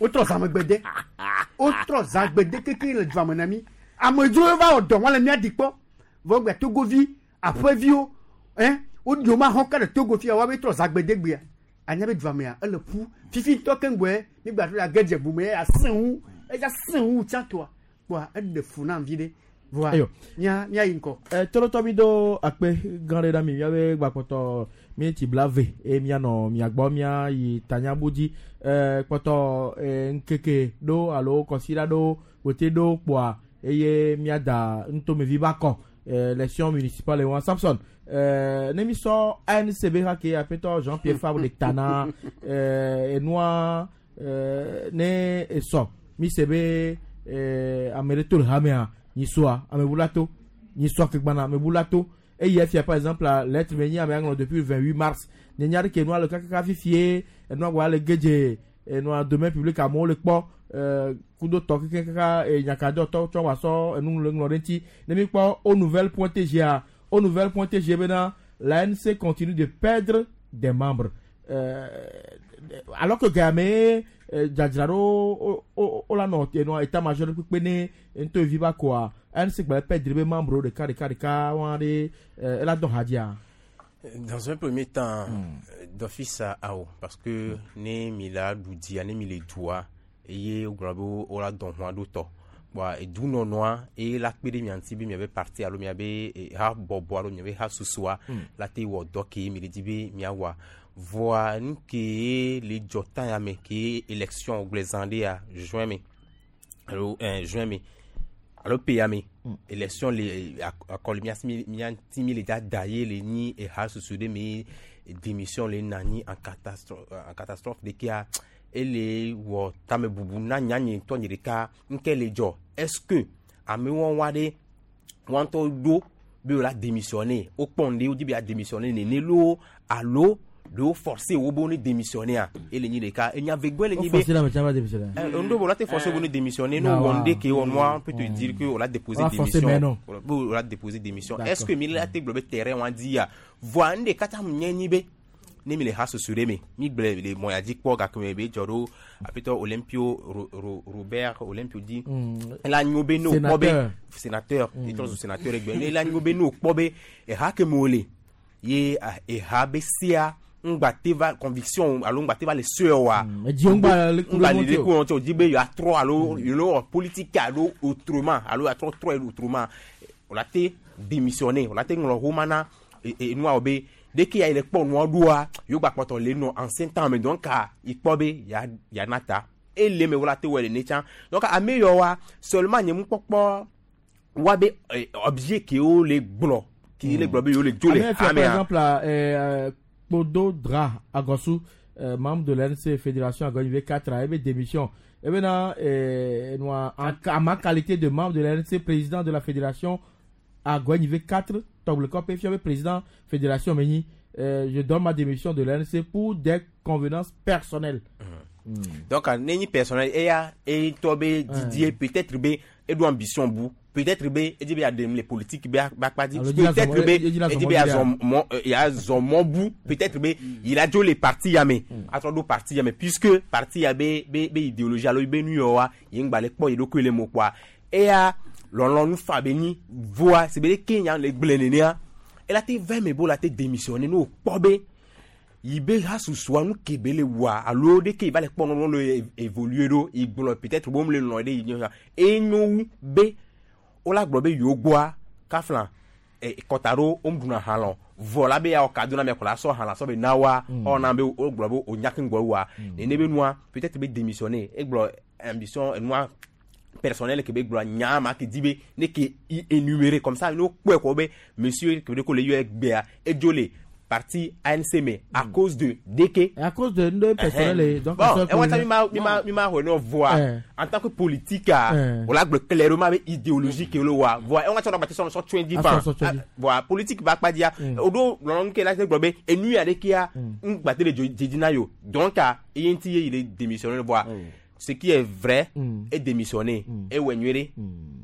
wotrɔ zã megbede wotrɔ zã gbede keke le dua me na mi amedzrowo va wɔ dɔ wɔn le mia di kpɔ vɔ gbe togovi aƒeviwo ɛ woɖi wo ma xɔ ka ɖe togo fia wa be trɔ zã gbede gbea anya be dua mea ele ƒu fifi ŋutɔ keŋgbɔe mi gba to la gedze bume eya sẽ ŋu eya sẽ ŋu tsãtɔa kpɔa eɖe fu na vi ɖe voa mia mia yi ŋkɔ. Ɛ tɔlɔtɔ mi do akpe gã ɖe ɖa mi miabe gbakpɔtɔ mi tsi bla ve eye mianɔ miagbɔ mia yi tanyabu dzi ɛ kpɔtɔ ɛ ŋkeke ɖo alo kɔsiɖa ɖo wote ɖo kpɔa eye miada nutomevi ba kɔ élection municipale wa Samson euh, ne mi sɔ A N C B ha ke aƒetɔ Jean-Pierre Fabre de tana euh, enua euh, ne esɔ mi se be euh, ame ɖe to le hamea nyisɔa amebula to nyisɔa ke gbana amebula to eye efia par exemple la lettre me nyi ame aŋlɔ depuis le vingt-huit mars ne nya ɖe ke enua le kakaka fifie enua gba le gedze enua domaine public amewo le kpɔ kudo tɔ keke kaka nyakadɔ tɔ tsɔ wa sɔ enu le ŋlɔ ɖe ŋuti ne mi kpɔ au nouvelle point T G A au nouvelle point T G bena la N C continue de perdre des membres euh, alors que game dzadzra ɖo o la nɔ enua état major kpekpe ne ŋutɔ vi ba koa N C gba perdre be membre ɖeka ɖeka ɖeka wa ɖe ela dɔn hadzia. Dans un premier temps, mm. d'office à O, parce que ne mi la ɖu ne mi le dua eye wogblɔ be wola dɔn hɔn ɖo tɔ bɔn edunɔnɔa eye la kpe ɖe mia ŋuti be miabe parti alo miabe ha bɔbɔ alo miabe ha susua la te wɔ dɔ ke mi le di be miawɔa voa nu ke le dzɔ tan ya me ke élection gblẽ zã ɖe ya juin me alo ɛn juin me alo pe ya me élection le akɔli mia mia ŋuti mi le da da ye le nyi eha susu ɖe me démission le na nyi en catastrophe en catastrophe de kea ele wɔ tamebubu na nyanye ŋutɔ nye ɖeka ŋke le dzɔ. Est-ce que amewo wa ɖe wɔn ŋutɔ ɖo be wola démissionner, wokpɔ nu ɖe wodi be ya démissionner nene loo alo ɖe wo forcer wo be wo ne démissionner a ele nyi ɖeka enya vegbɔe le nyi be forcer la me démissionner. Euh, ndo la te forcer wo ne démissionner no wɔn ɖe ke wɔn moi on peut te dire que on a déposé démission, on a déposé démission. Est-ce que mi la te gblɔ be terrain wa di ya voa n de katã nye nyi be ne mi le ha susu ɖe me mi gblẽ le mɔya dzi kpɔ gake me be dzɔ ɖo aƒetɔ Olympio Robert Olympio di ela nyo be ne wòkpɔ be sénateur etrɔ zu sénateur egbe ne ela nyo be ne wòkpɔ be eha ke me wòle ye eha be sia ŋgba te va conviction alo ŋgba te va le sue wa ŋgba le ɖe ko wɔn tse o di be yeatrɔ alo yelo wɔ politique alo autrement alo yeatrɔ trɔ autrement, o la te démissionner, o la te ŋlɔ xoma na enua wo be dès qu'il y a le kpɔ nua ɖoa yewo gba kpɔtɔ le nɔ ancien temps me donc ikpɔ be ya yana ta ele me wola te wɔ le ne tsã. Donc ame yɔ wa seulement nye nukpɔkpɔ wa be objet ke wo le gblɔ ke le gblɔ be yewo le dzo le amea. Par exemple euh, Kpodo Dra Agossou, euh, membre de l'A N C Fédération Agonivé quatre a ebe démission ebe na euh, en ma qualité de membre de l'A N C, président de la Fédération Agonivé quatre Togblekɔpe fiabe président fédération Meni, euh, je donne ma démission de l'A N C pour des convenances personnelles. Mmh. Mm. Donc, neni personnel, eya, et toi, be Didier, peut-être be, et do ambition bu, peut-être be, et dit be adem les politiques be, ba dit, peut-être be, et dit be ya zon mon bu, peut-être be, il a joué les partis ya me, a trop parti ya me, puisque parti ya be, be, be idéologie alo be nu yo wa, yengba le kpo yedo le mo quoi. Eya, lɔlɔnu fa be nyi voa si be ɖe ke nya le gblẽ nenea ela te va me bo la te démissionner ne wòkpɔ be yi be ha susua nu ke be le wɔa alo ɖe ke va le kpɔ nɔnɔ le évoluer ɖo yi gblɔ peut-être bo le lɔn ɖe yi nye enyo wu be wola gblɔ be yewo gbɔa kafla kɔta ɖo wo ɖuna ha lɔ vɔ la be ya wɔ kado na mia kɔ la sɔ ha la sɔ be na wa ɔna be wo gblɔ be o nya ke ŋgɔ wa nene be nua peut-être be démissionner egblɔ ambition enua personnel ke be gblɔ nya ma ke di be ne ke i énumérer comme ça no kpɔe kɔ be monsieur ke be ko le yɔ egbea edzo le parti A N C me à cause de D K. À cause de deux personnel donc bon et moi mi ma mi ma mi ma xɔ ne voa en tant que politique a o la gblɔ clairement be idéologie ke le wa voa et on va tsɔ bati sɔn sɔ tún di fan voa politique ba kpa dia o do lɔlɔnu ke la se gblɔ be enu ya de kia n gba te le dzedzi na yo donc eye ŋuti ye il est démissionné voa ce qui est vrai mm. est démissionné mm. et wɛ nyuie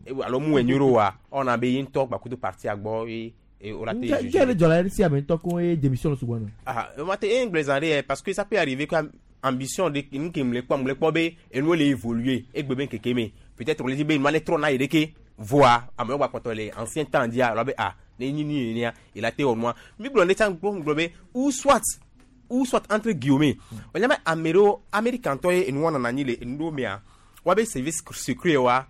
ɖe alo mu wɛ nyuie ɖe wa ɔna be ye ŋutɔ gbakudo parti agbɔ ye et on a été jugé. Quel est le si ame ŋutɔ ko ye démission sugbɔ nɔ. Ah ma te e ŋgblẽ ɖe parce que ça peut arriver que ambition de nu ke mle kpɔ mle kpɔ be enuwo le évoluer egbe be keke me peut-être le di be nua ne trɔ na yi ɖeke voa amewo gba kpɔtɔ le ancien temps dia alo be ah ne nyi ni nenia il a été wɔ nua mi gblɔ ne tsã gblɔ be ou soit ou soit entre guillemets wònya be ame ɖewo américain-tɔ ye enu wɔna anyi le enu ɖewo mea woabe service secret wa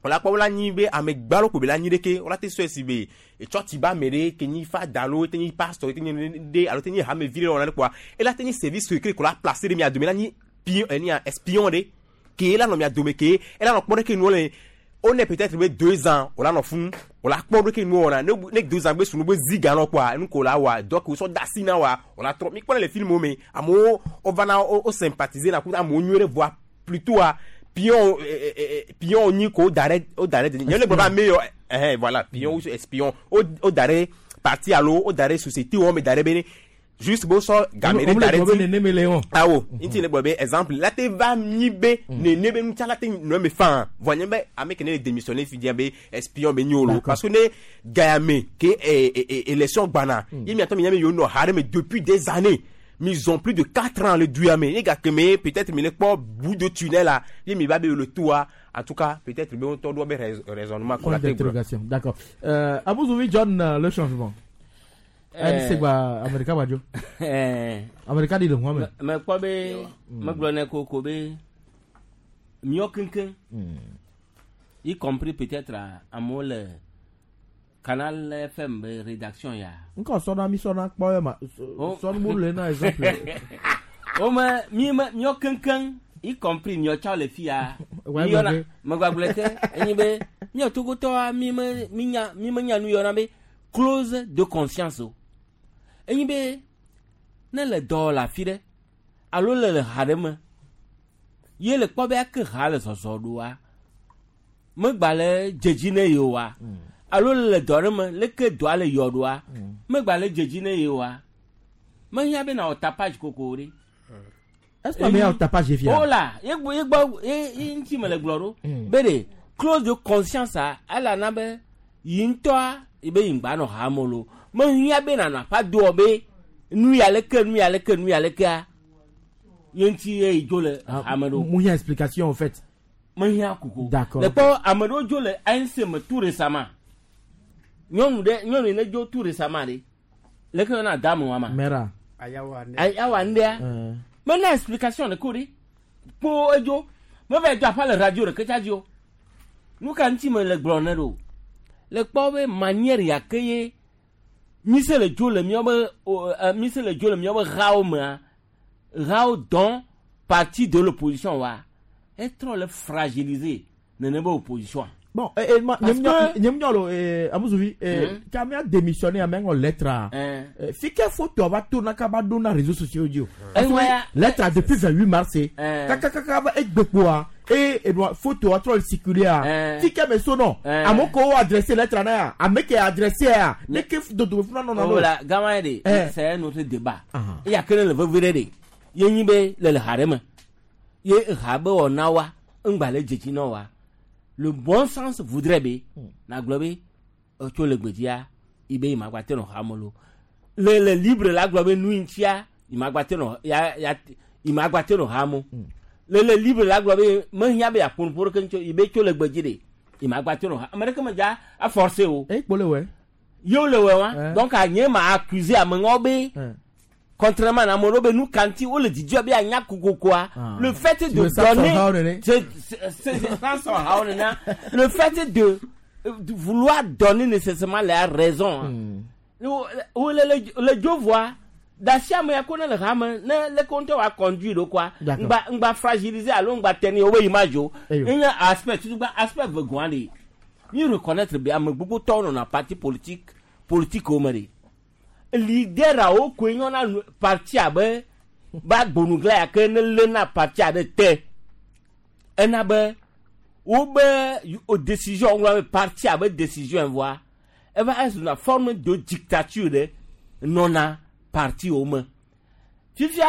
wòla kpɔ wola nyi be ame gbalo ko be la nyi ɖeke wola te sɔe si be etsɔtsi ba ame ɖe ke nyi fada alo te nyi pasteur te nyi ɖe alo te nyi hamevi ɖe wɔna ɖe kpoa ela te nyi service secret ko la placer ɖe mia dome la nyi pion enia espion ɖe ke ela nɔ mia dome ke ela nɔ kpɔ ɖe ke nuwo le on est peut-être be deux ans wòla nɔ fún wòla kpɔ ɖe ke nuwo wɔna ne ne deux ans be sunu be zi ga nɔ kpoa enu ko la wa donc wosɔ da asi na wa wòla trɔ mi kpɔ le film wo me amewo wovana wo wo sympathiser na kudo amewo nyuie ɖe voa plutôt a pion pion nyi ko da ɖe wo da ɖe nye le gblɔ be ame yɔ ɛhɛn voilà pion ou espion wo wo da ɖe parti alo wo da ɖe société wo me da ɖe be ne juste bo sɔ game ɖe da ɖe nene me le wɔn. Awo ŋuti le gblɔ be exemple la te va nyi be nene be ŋutia la te nɔ me fan vɔ nye be ame ke ne le démissionner fi dia be espion be nyi o lo parce que ne gaya me ke élection gbana ye miatɔ mi nya be yewo nɔ ha ɖe me depuis des années, ils ont plus de quatre ans le duya me ye gake me peut-être mi le kpɔ bout de tunnel la ye mi va be le toa en tout cas peut-être be ŋutɔ ɖo be raisonnement. Point d'interrogation, d'accord. euh, Abouzouvi John, le changement. N C gba Amerika gba dzo. Amerika di le hua me. Me kpɔ be megblɔ ne koko be miɔ keŋkeŋ, y compris peut-être amewo le Canal F M be rédaction ya. Nkɔ sɔna mi sɔna kpɔ ye ma. Sɔnu mu le na exemple. O me mi me miɔ keŋkeŋ, y compris miɔ tsã le fia. Ouais, Mi yɔna me megbagblɔ ke enyi be miɔ togotɔa mi me mi nya mi me nya nu yɔna be clause de conscience o. Enyi be ne le dɔ le afi ɖe alo le le ha ɖe me ye le kpɔ be ake ha le zɔzɔ ɖoa megba le dzedzi ne ye oa, alo le dɔ ɖe me leke dɔa le yɔ ɖoa megba le dzedzi ne ye oa, mehiã be na wɔ tapage koko ɖe. Est-ce que ame ya wɔ tapage fia? O la ye gbɔ ye gbɔ ye ye ŋuti me le gblɔ ɖo be de clause de conscience a ela na be yi ŋutɔa yi be yi ŋgba nɔ ha me lo mehiã be nana aƒa doɔ be nu ya leke nu ya leke nu ya lekea ye ŋuti ye yi dzo le hame ɖo. Mu hiã explication en fait. Mehiã koko. D'accord. Le kpɔ ame ɖewo dzo le A N C me tout récemment, nyɔnu ɖe nyɔnu yi ne dzo tout récemment ɖe leke yɔna dame wa ma. Mera. Ayawa ndea mena explication ɖe ko ɖe kpo edzo meva dzo aƒa le radio ɖeke tsa dzi o. Nu ka ŋuti me le gblɔ ne ɖo le kpɔ be manière ya ke ye mi se le dzo le miabe o, ɛ, mi se le dzo le miabe hawo mea, hawo dɔn parti de l'opposition wa etrɔ le fragiliser nene be opposition. Bon, eh, eh, ma, Parce nyem nyɔ que- nyem nyɔ lo eh, Amusuvi, eh, Hmm. ka mea démissionné ame ŋɔ lettre a. Eh, fi ke photo va to na ka ba do na réseaux sociaux dzi o. Parce que Eh, ouais. lettre depuis vingt-huit mars Eh. kaka kaka va egbekpoa e e photo a trɔ le circuler a. Eh. Fi ke me so nɔ. Eh. Ame ko wo adressé lettre na ya, ame ke adressé ya, ne ke dodo funa nɔ na Oh do. la gama ye de Eh. c'est un autre débat. Ah. Eya ke ne le veve ɖe de ye nyi be le le ha ɖe me ye ha be wɔna wa ŋgba le dzedzi na wa, le bon sens voudrait be nagblɔ be etso le gbedzia yi be yi ma gba te nɔ ha me lo le le libre la gblɔ be nu yi ŋutia yi ma gba te nɔ ya ya yi ma gba te nɔ ha me le le libre la gblɔ be mehiã be yeaƒo nuƒo ɖeke ŋuti o, yi be tso le gbedzi de yi ma gba te nɔ ha ame ɖeke me dza aforcer o. E kpo le wɛ. Yewo le wɛ wa donc nye ma accuser ame ŋɔ be contrairement à ame ɖewo be nu kanti wole dzidzɔ be anya kokokoa Ah. le fait Tu de veux ça donner sɔn hawo nene? c'est c'est c'est ça sɔn hawo nena le fait de de vouloir donner nécessairement la raison wo wo le le le dzo voa dasi ame ya ko ne le hame ne le ko ŋutɔ wa conduire ɖo koa D'accord. ŋgba ŋgba fragiliser alo ŋgba tɛni wo be yi ma dzo Eyo. enye aspect tutu gba aspect vegoa de mi reconnaître be ame gbogbo tɔwo nɔna parti politique politique wo me de leader awo koe nyɔna nu- parti abe ba gbonugla ya ke ne lena parti aɖe te ena be wobe o décision ŋlɔ be parti abe décision voa eva ezuna forme de dictature ɖe nɔna parti wo me fifia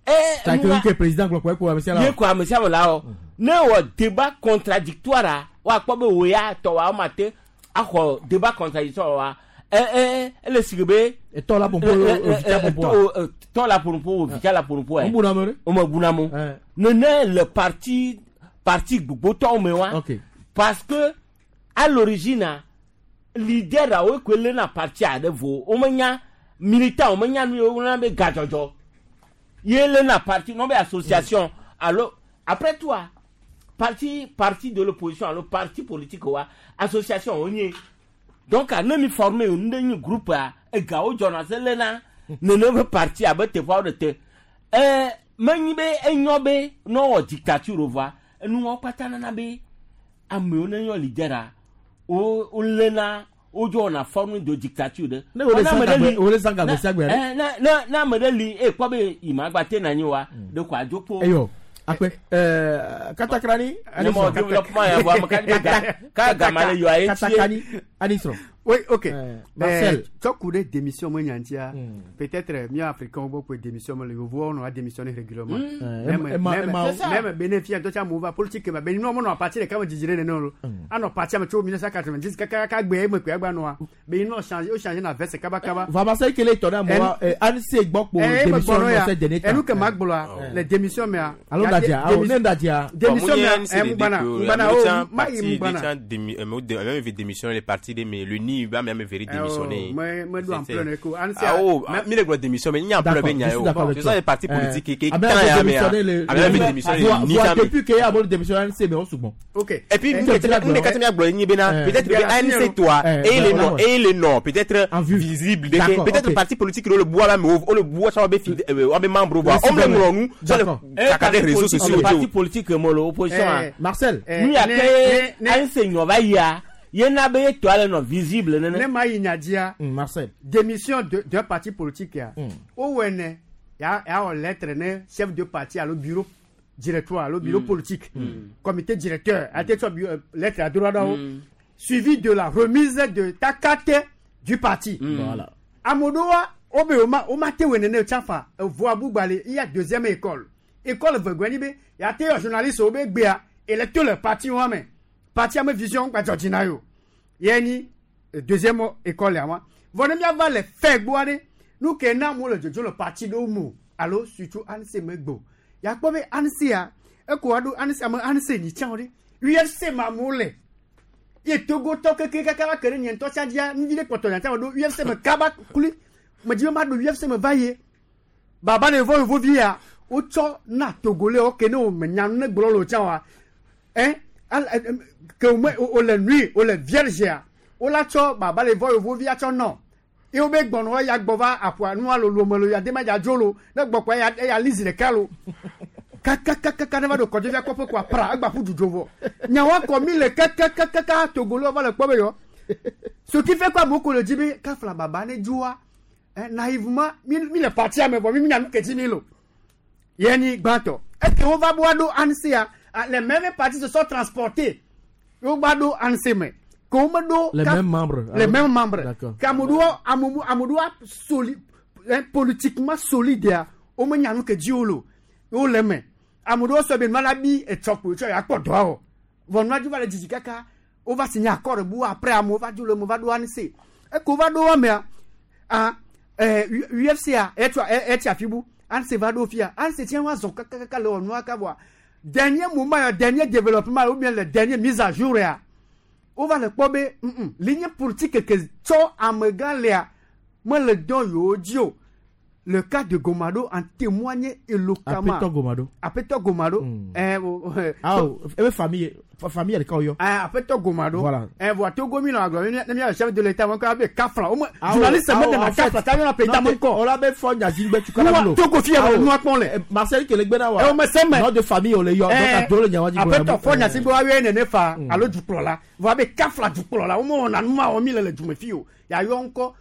e Ta ke nua- ke président gblɔ kɔ ko ame sia la. ye ko ame sia ame la wɔ ne wɔ débat contradictoire a woakpɔ be wò ya tɔ wa woma te axɔ débat contradictoire wa ɛ ɛ ele sigi be. Etɔ la ƒoƒo, ovitsa ƒoƒoa. Tɔ la ƒoƒo, ovitsa la ƒoƒo. Wo buna ame ɖe. O me buna mo. Nene le parti parti gbogbotɔwo me wa. Ok. Parce que à l'origine a leader awo koe lena parti aɖe vo wo menya militant wo menya nu ye wo be gadzɔdzɔ ye lena parti non be association alo après toi parti parti de l'opposition alo parti politique wa association wo nye donc a ne mi formé nu ɖe nyi groupe a egawo dzɔna se lena nene be parti abe teƒeawo ɖe te ɛɛ menyi be enyɔ be ne wɔ dictature o voa enuwo kpata nana be amewo ne nyɔ leader a wo wolena wodzɔ wɔna forme de dictature ɖe. Ne wole Ne ame zã ɖe gagbe- li- wole zã gagbe ne- sia gbe ɖe. eh, ne ne ne ame ɖe li e kpɔ be yi ma gba te na anyi wa ɖe ko adzo kpo. Eyo. Akpe. Eh, katakrani. Ne mɔ développement ya vɔ ame ka di be ga ka gama le yɔ aye tie. Katakrani. Anisrɔ. Oui, ok. Marcel. Euh, Tɔku ɖe démission me nyantia. Peut-être mi africain wo gbɔ démission me le yovowo nɔ démissionner régulièrement. Mm. Même Eh, ema- même ema- même bénéfice ŋutɔ tsa amewo va politique ma be nua menɔ parti ɖeka me dzidzi ɖe nene o. Anɔ parti me tso mille neuf cent quatre-vingt-dix kaka kaka gbe eme koe agba nɔa. Be nua change o change na veste kaba kaba. Va Marcel kele tɔ ɖe amewo A N C gbɔ kpo Eh, démission eme gbɔnɔ ya. nɔ se dernier temps. Enu ke ma gblɔa le démission mea. Alo ya ŋdadzia, dé- awo ne ŋdadzia. Démission mea, eh, ŋugbana, ŋugbana o, ma yi ŋugbana. Ame démissionné le parti de mais le ni mi ba mi ame veri démissionner. Me me do ampleur ne ko. Ah oh, mi le gblɔ démission mais ni ampleur be nya yo. Ce sont les partis politiques qui quand ya me. Ame be démissionner ni ça. Depuis que ya bon démissionner A N C mais on souvent. OK. Et puis nous les quatre mi gblɔ nyi bena peut-être que A N C toi et les non et les non peut-être visible peut-être parti politique le bois là mais le bois ça va be be membre voix. On le ŋlɔ nu sur les réseaux sociaux. Parti politique mo le opposition. Marcel. Nu ya ke A N C nyɔ va yia. Yena be to ale no visible nene. Ne ma yi nyadia. Marcel. Démission d'un parti politique ya. O wene ya ya o lettre ne chef de parti à le bureau directoire, le bureau politique, comité directeur, a été lettre à droit là-haut, suivi de la remise de ta carte du parti. Voilà. Amodoa obe oma oma te wene ne tchafa voa bugbale il y a deuxième école. École vegbeni be ya te journaliste obe gbea électeur le parti wa me. Parti ame vision gba Georgina yo. Yeni deuxième école ya wa. Vone mi ava le fe gboare nu ke na mo le jojo le parti do mu. Allo surtout A N C me gbo. Ya kpo be A N C a e ko ado A N C am A N C ni chan ore. U F C ma mo le. Ye Togo to keke kaka ba kere nyen to chadia ni le koto nyan do U F C me kaba kuli. Me di ma do U F C me vaye. Baba ne vo vo via. O cho na Togolais o ke no me nyan ne gbolo lo chan wa. Hein que o le nuit o le vierge o la cho baba le vo vo via cho no. E o be gbono ya gbova apua nu alo lo melo ya de ma ja jolo ne gboko ya ya lizi le kalo. Kakakaka ne va do kodje via kopo kwa pra agba fu jujo vo. Nya wa ko mi le kakakaka Togolo va le po be yo. Ce qui fait quoi beaucoup le dit be ka fla baba ne joa naïvement mi mi le parti a me bo mi mi na nu keti mi lo. Yeni gbanto. Est-ce que on va boire do A N C a les mêmes partis se sont transportés. On va do A N C mais do les mêmes membres. Les mêmes membres. D'accord. Kamoudou Amoudou Amoudou soli politiquement solidaire. O me nyanu ke diolo. O le me. Amoudou so be malabi et chokpo cho ya ko do. Von ma va le didi kaka. On va signer accord bou après amou va do le mo va do A N C. E ko va do me a eh U F C a et et afibu. A N C va do fia. A N C tient wa zo kaka kaka le onu aka voa. Dernier moment, dernier développement ou bien le dernier mise à jour ya. On va le pobe ligne politique que tso amegan lea moi le don yo dio. Le cas de Gomado en témoigne éloquemment. Apeto Gomado. Apeto Gomado. Eh ah eh famille famille elle yo. Ah Apeto Gomado. Voilà. Eh voit Togo mi la le chef de l'état encore avec Kafra. Au moins journaliste même de la Kafra ta na président encore. On l'a même fond ya jingbe tu kana lo. Togo fi ya nous akpon le. Marcel ke le gbena wa. Eh o me seme. Nom de famille o le yo donc do le nyawa jingbe. Apeto fond ya jingbe wa we nene fa alo duklo la. Voit be Kafra duklo la. Au moins on a nous ma o mi le le jume fi o. Ya yo encore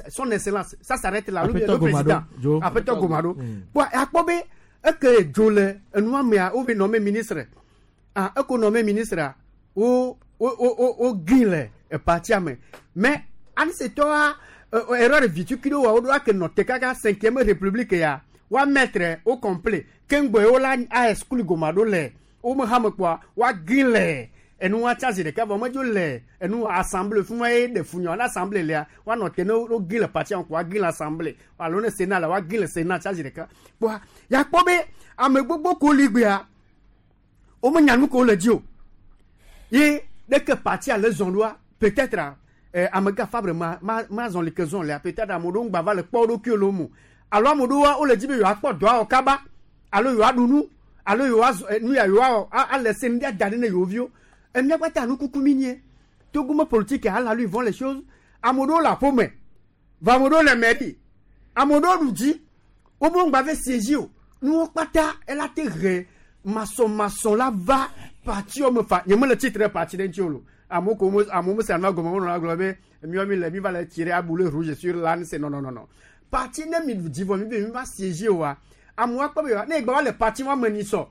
son excellence, ça s'arrête là. Le président, Apeto Gomado. Bon, à quoi que Jole, nous avons nommé ministre. Ah, on nommé ministre au au au au Guinée, parti mais an c'est toi erreur vitu qui doit doit que notre kaka cinquième république ya wa mettre au complet. Kengbo ola a exclu Gomado le. O me ham quoi, wa Guinée. Et nous, on a de cas, on et nous, assemblée, de fouillons, l'assemblée, là, on a noté nos guilles, le parti, on a guille l'assemblée, alors le Sénat, là, on a guille le Sénat, charge de cas. Bon, y a pas de, à me beaucoup, libia, au moins, y a nous qu'on le dit. Et dès que parti à les endroits, peut-être, à me fabre, ma, ma, zone, les questions, là, peut-être, à mon bava, le port au cul, l'homme. Alors, mon doigt, on le dit, mais il y a pas de droit au cabas, alors, il y a nous, alors, il y a, nous, il y a, à laisser, nous, il y a, et nous avons kuku minier. Togo politique à la lui vont les choses. Amodo la pomme. Vamodo le mairie. Amodo nous dit au bon bave siéger. Nous pata elle a terre maçon maçon là va partir me fa. Y'a le titre parti d'un tiolo. Amo comme amo c'est un gomo on a globé mieux mi le mi va le tirer à boulet rouge sur l'âne c'est non non non non. Parti ne mi dit va mi va siéger wa. Amo pas ne gba le parti wa meniso.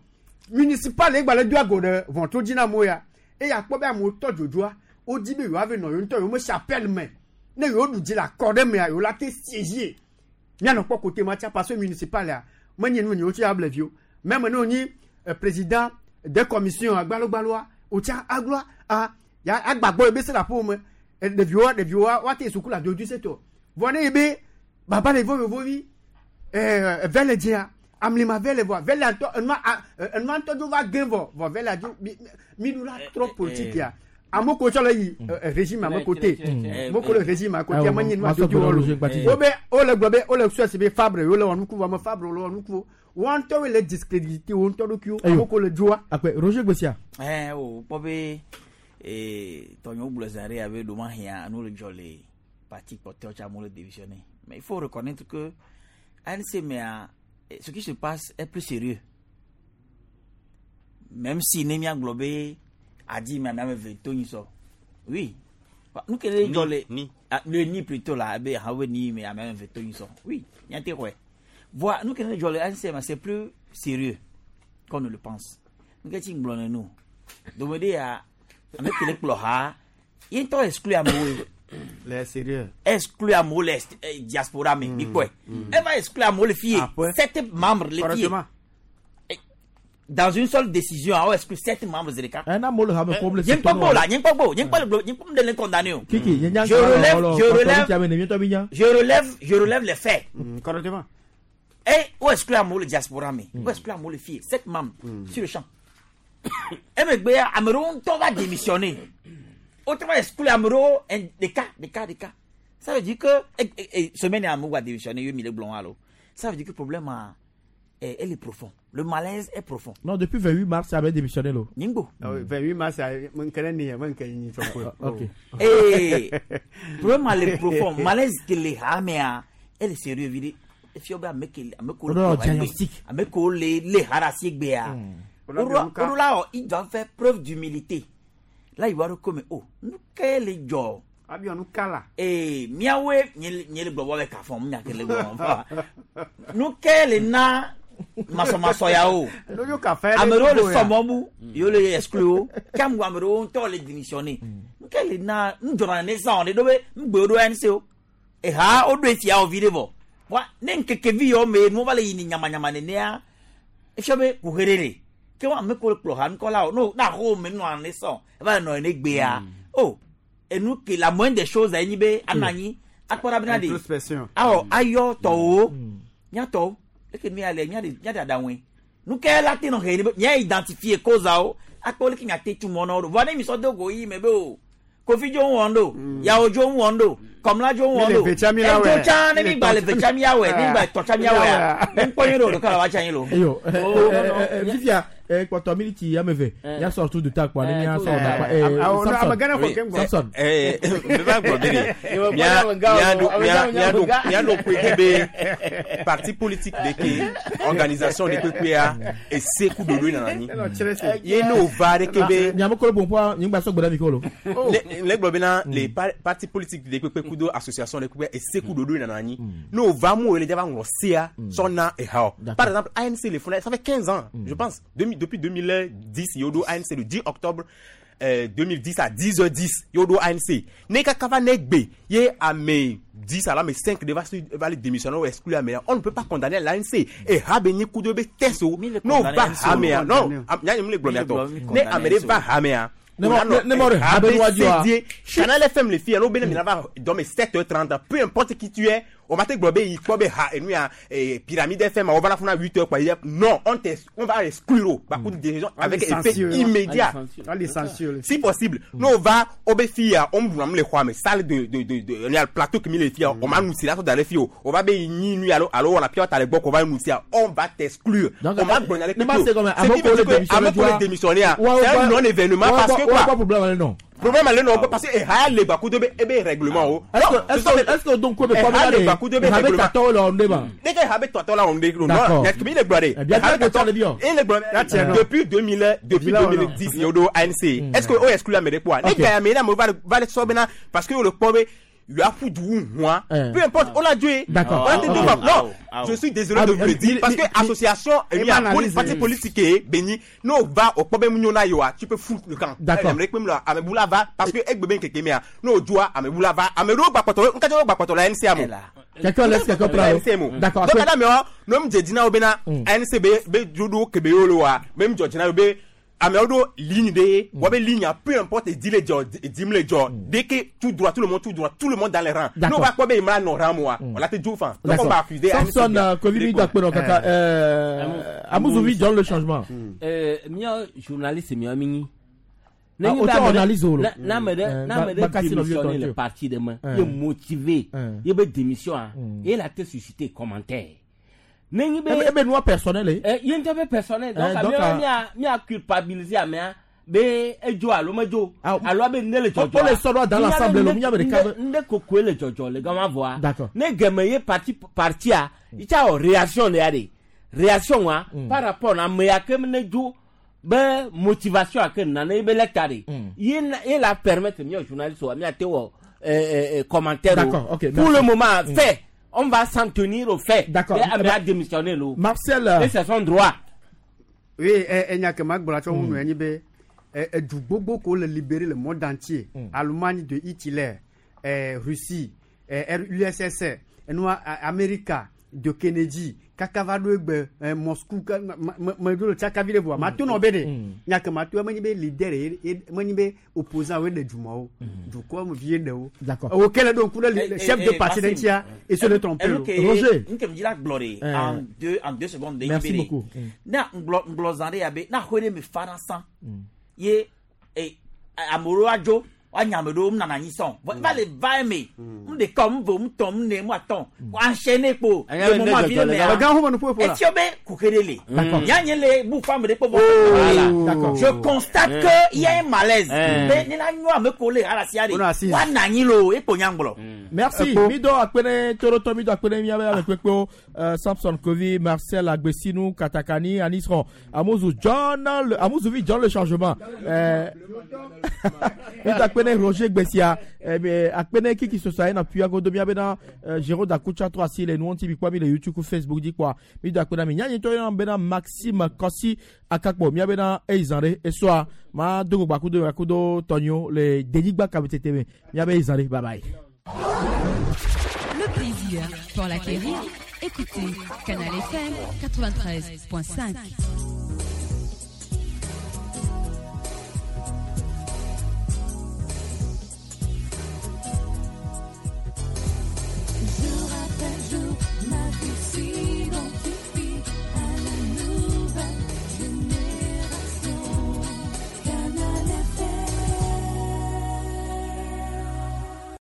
Municipal e gba le doit go de vont tout dina moya. Et ya kpɔ be amewo tɔ dzodzroa wodi be yewoave nɔ yewo ŋutɔ yewo me chapelle me ne yewo ɖu dzi le akɔ ɖe mea yewo la te siéger mianɔ kpɔ kote ma tia parce que municipal ya menye nu yewo tsi able viwo même ne wonyi président de commission agbalogbaloa wotsia agloa a ya agbagbɔ yi be se le aƒewo me ɖeviwoa ɖeviwoa woate suku le adodo setɔ vɔ ne yi be baba le vovovovi ɛɛ vɛ le dzia amlima vɛ le vɔa vɛ le ŋutɔ enua enua ŋutɔ dzo va gẽ vɔ vɔ vɛ le dzo mi mi ɖu la trɔ politique ya Ame ko tsɔ le yi régime ame côté. Mo ko le régime à côté ame nyi nu adodo wo lo. Wo be wo le gblɔ be wo le sɔ si be Fabre wo le wɔ nuku vɔ ame Fabre wo le wɔ nuku. Wo ŋutɔ wo le discrédité wo ŋutɔ ɖokuiwo. Ame ko le dzoa. Akpe Roger Gbesia. Ɛ o kpɔ be ee tɔnyewo gblɔ zã ɖe abe ɖo ma hia nu le dzɔ le parti kpɔtɔewo tsa amewo le démissionner. Mais il faut reconnaître que A N C mais ce qui se passe est plus sérieux. Même si Némia Globé a dit mais ame ve to nyi sɔ. Oui. Nous que les le ni le ni plutôt là be ha we ni mais ame ve to nyi sɔ. Oui, nya te ouais. Voilà, nous que les le A N C mais c'est plus sérieux qu'on ne le pense. Nous que ti nglɔ nous. Donc me a ame ke le kplɔ ha, ye ŋutɔ exclu amewo. Les sérieux. Exclu amewo le diaspora me, mi kpɔe. Elle va exclure amewo le fille. Sept membres le fille. Dans une seule décision, on exclut sept membres de l'État. Un homme le problème. Je ne pas là, je ne pas je ne pas je ne pas condamner. Je relève, je relève, je relève, je relève les faits. Correctement. Et on exclut amewo le diaspora me, on exclut amewo le fille, sept membres sur le champ. Et mais amewo ŋutɔ va démissionner. Autrement exclure amewo des cas, des cas, des cas. Ça veut dire que et, et, et, semaine amewo va démissionner, yo mille blond alors. Ça veut dire que le problème a, est, elle est profond. Le malaise est profond. Non, depuis vingt-huit mars, ça avait démissionné là. Nyingbo. vingt-huit mars, ça mon connaît mon connaît OK. Et problème est profond, malaise que les hamea, elle est sérieux vide. Fioba meke ameko diagnostic. Ameko les les harasi gbea. Là, il doit faire preuve d'humilité. Là, il va reconnaître, oh, nous, quel est le Abi nous kala. Eh, miawe, nye le globo avec kafon, mia ke le globo. Nous, quel est na maso maso ya o. Amero le somobu, yo le exclu. Kam amero on to le démissionner. Nous quel est na, nous journaliste ça on est dobe, nous gbedo N C O. Eh ha, o do etia o vide vo. Wa, ne nkeke vi yo me, nous va le yini nyama nyama ne nea. E fiobe kuherere. Ke wa me ko kplo han ko la no na ho me no an so e ba no ne gbe a oh et nous que la moindre des choses a ni be anani akpora bina de awo ayo to o nya to e ke mi ale nya de nya de adawen nous ke la te no he ni nya identifier cause o akpo le ki nya te tu mo no vo na mi so do go yi me be o Kofi jo won do ya ojo won do Komla jo won do e jo cha ne mi gba le vecha mi awe ni gba to cha mi awe mi po yin ro ka la wa cha yin lo eyo Vivia kpɔtɔ miniti ame eve ya sɔ tu duta kpɔ ne mia sɔ da kpa Samson eh me va gblɔ be de mia mia do mia mia do mia do koe ke be parti politique de ke organisation de kpekpea ese ku dodo nana anyi ye n'o va de ke be miame kolo pompoa nyigba sɔ gbɔdɔ mi kolo ne ne gblɔ bena les partis politiques de kpekpe kudo association de kpekpe ese ku dodo nana anyi n'o va mu le va ŋlɔ sea sɔna eha par exemple A N C le fond ça fait quinze ans je pense depuis deux mille dix yodo A N C le dix octobre euh, deux mille dix à dix heures dix yodo A N C ne kaka ne gbe ye ame dix à la mais cinq de va va les démissionner ou exclure mais on ne peut pas condamner l'A N C et ha be ni coup de be teso no va ame non nya ni le gblɔ to ne ame va ame Ne ne Canal F M les filles, on va sept heures trente, peu importe qui tu es, on va te glober, il quoi ha et nous a Pyramide F M, on va la faire à huit heures quoi. Non, on te on va exclure par coup de décision avec effet immédiat. Si possible, nous on va au filles, on vous les croix mais salle de de de de le plateau qui mis les filles, on va nous là dans les filles, on va be ni nous allo allo on la pilote à l'époque, on va nous on va t'exclure. On va donner les démissionner. C'est un non événement parce que quoi problème non. Problème allez non parce que eh ha le bakou de be règlement o. Est-ce que est-ce que donc quoi pas le bakou de be règlement. Tâton là on débat. Dès que habe tâton là on débat. Non, mais il est blindé. Bien que depuis deux mille depuis deux mille dix yodo A N C. Est-ce que o exclut la mede quoi? Les gars mais là va va le sobena parce que le pauvre il a foutu moi. Peu importe, on l'a joué. D'accord. Non, je suis désolé de vous le dire parce que association il y a parti politique béni, nous va au problème nous na yoa, tu peux foutre le camp. D'accord. Va parce que ek beben keke mea, nous doit ameboula va, amero ba pato, on ka ba pato la N C A mo. Quelqu'un laisse quelqu'un prendre. D'accord. Donc madame yo, nous me dina obena N C B B jodo kebe yo lo wa, même Georgina be Ameodo ligne de, mm. ligne, peu importe, dit les jobs, dit les jobs, dès que tout droit, tout le monde, tout droit, tout le monde dans les rangs. Nous, on va quoi, ben, il non rang, moi. On l'a tout fait. Donc, on va accuser. Samson, Covid, d'accord, kaka, euh, Amouzoui, John, le changement. Euh, mia journaliste, mia mini. Ne Ah, nyi be auto ame ɖe- analyse wo lo. na- na ame ɖe Eh, na ame ba- ɖe bakasi nɔviwo démissionné tɔ le tso. parti ɖe me Eh. ye motivé ye be démission a ye la te susciter commentaire. Ne nyi be Ebe- ebe nua personnel ye. Eh, ye ŋutɔ be personnel donc Eh, donc, ame ah. mia mia culpabiliser amea be edzo alo medzo alo abe ne le dzɔdzɔ Wo le sɔ ɖo dans l'assemblée lo, miabe ɖeka be- nde kokoe le dzɔdzɔ le gama vɔa D'accord. ne gɛmɛ ye parti partia itsa wɔ réaction le ya de réaction wa par rapport na ame ya ke ne dzo be motivation a ke nana ye be lɛta de ye na ye la permettre miɔ journaliste wa mia te wɔ euh, euh, euh, commentaire o. D'accord, ok, pour merci. le moment Mm. fait on va s'en tenir au fait D'accord. Et ame a démissionné lo Marcel et c'est son droit. Oui, enya ke ma gblɔ tsɔ ŋu nɔ anyi be ɛ, edu gbogbo ko le libéré le monde entier Allemagne de Hitler ɛ, Russie ɛ, U S S R enua A- Amerika de Kennedy kaka va ɖo egbe ɛ, Moscou ka ma- ma- me ɖo le tsakavi ɖe voa ma to nɔ be ɖe nya ke ma to menye be leader ye ye- menye be opposant woe ɖe dzumawo dukɔ me vi ye ɖe wo D'accord. wo ke le ɖo ŋku ɖe li- Eh, chef eh, de eh, parti ɖe Maxime, ŋutia et se le tromper enu lo. ke Roger. nu ke mi dzi la gblɔ de Eh. en deux en deux secondes de Merci yi be de beaucoup. Mm. na ŋgblɔ ŋgblɔ zã ɖe ya be na xoe ɖe mi fa na sã ye eh, ame ɖewo adzo woanya ame ɖewo nana anyi sɔn vɔ va le va eme nu ɖeka nu ve nu tɔn nu ne nu atɔn enchaîner kpo Anya le be ne moment vi dzɔdzɔ ɖe le mea gama. Gã xɔme nu ƒoƒo la. etiɔ be kuxe ɖe le D'accord. ya nye le bu fa ame ɖe kpɔ vɔ Voilà. D'accord. je constate que il y a un malaise Eh. be ne la nyɔ ame ko le alasia de Wonɔ assise. woana anyi lo ekpo nya ŋgblɔ. Merci. Ekpo. Mi do akpene Toroto, mi do akpene miabe ame kpekpewo euh, Samson Kovi, Marcel Agbesinu, Katakani, Anisron, Amuzu John, le, Amuzu John le changement. Euh, mi do akpene Roger Gbessia, eh, mais akpene Kiki Sosa na puya godo miabe na euh, Jérôme Dakucha trois si les nous bi kwa mi le YouTube ku Facebook di kwa. Mi do akpene mi nyanyi to yon bena Maxime Kossi Akakpo miabe na Eizanre eswa ma dogo bakudo bakudo Tonyo le Deligba kabetete me miabe Eizanre bye bye. Le plaisir pour l'acquérir. Écoutez Canal F M quatre-vingt-treize point cinq.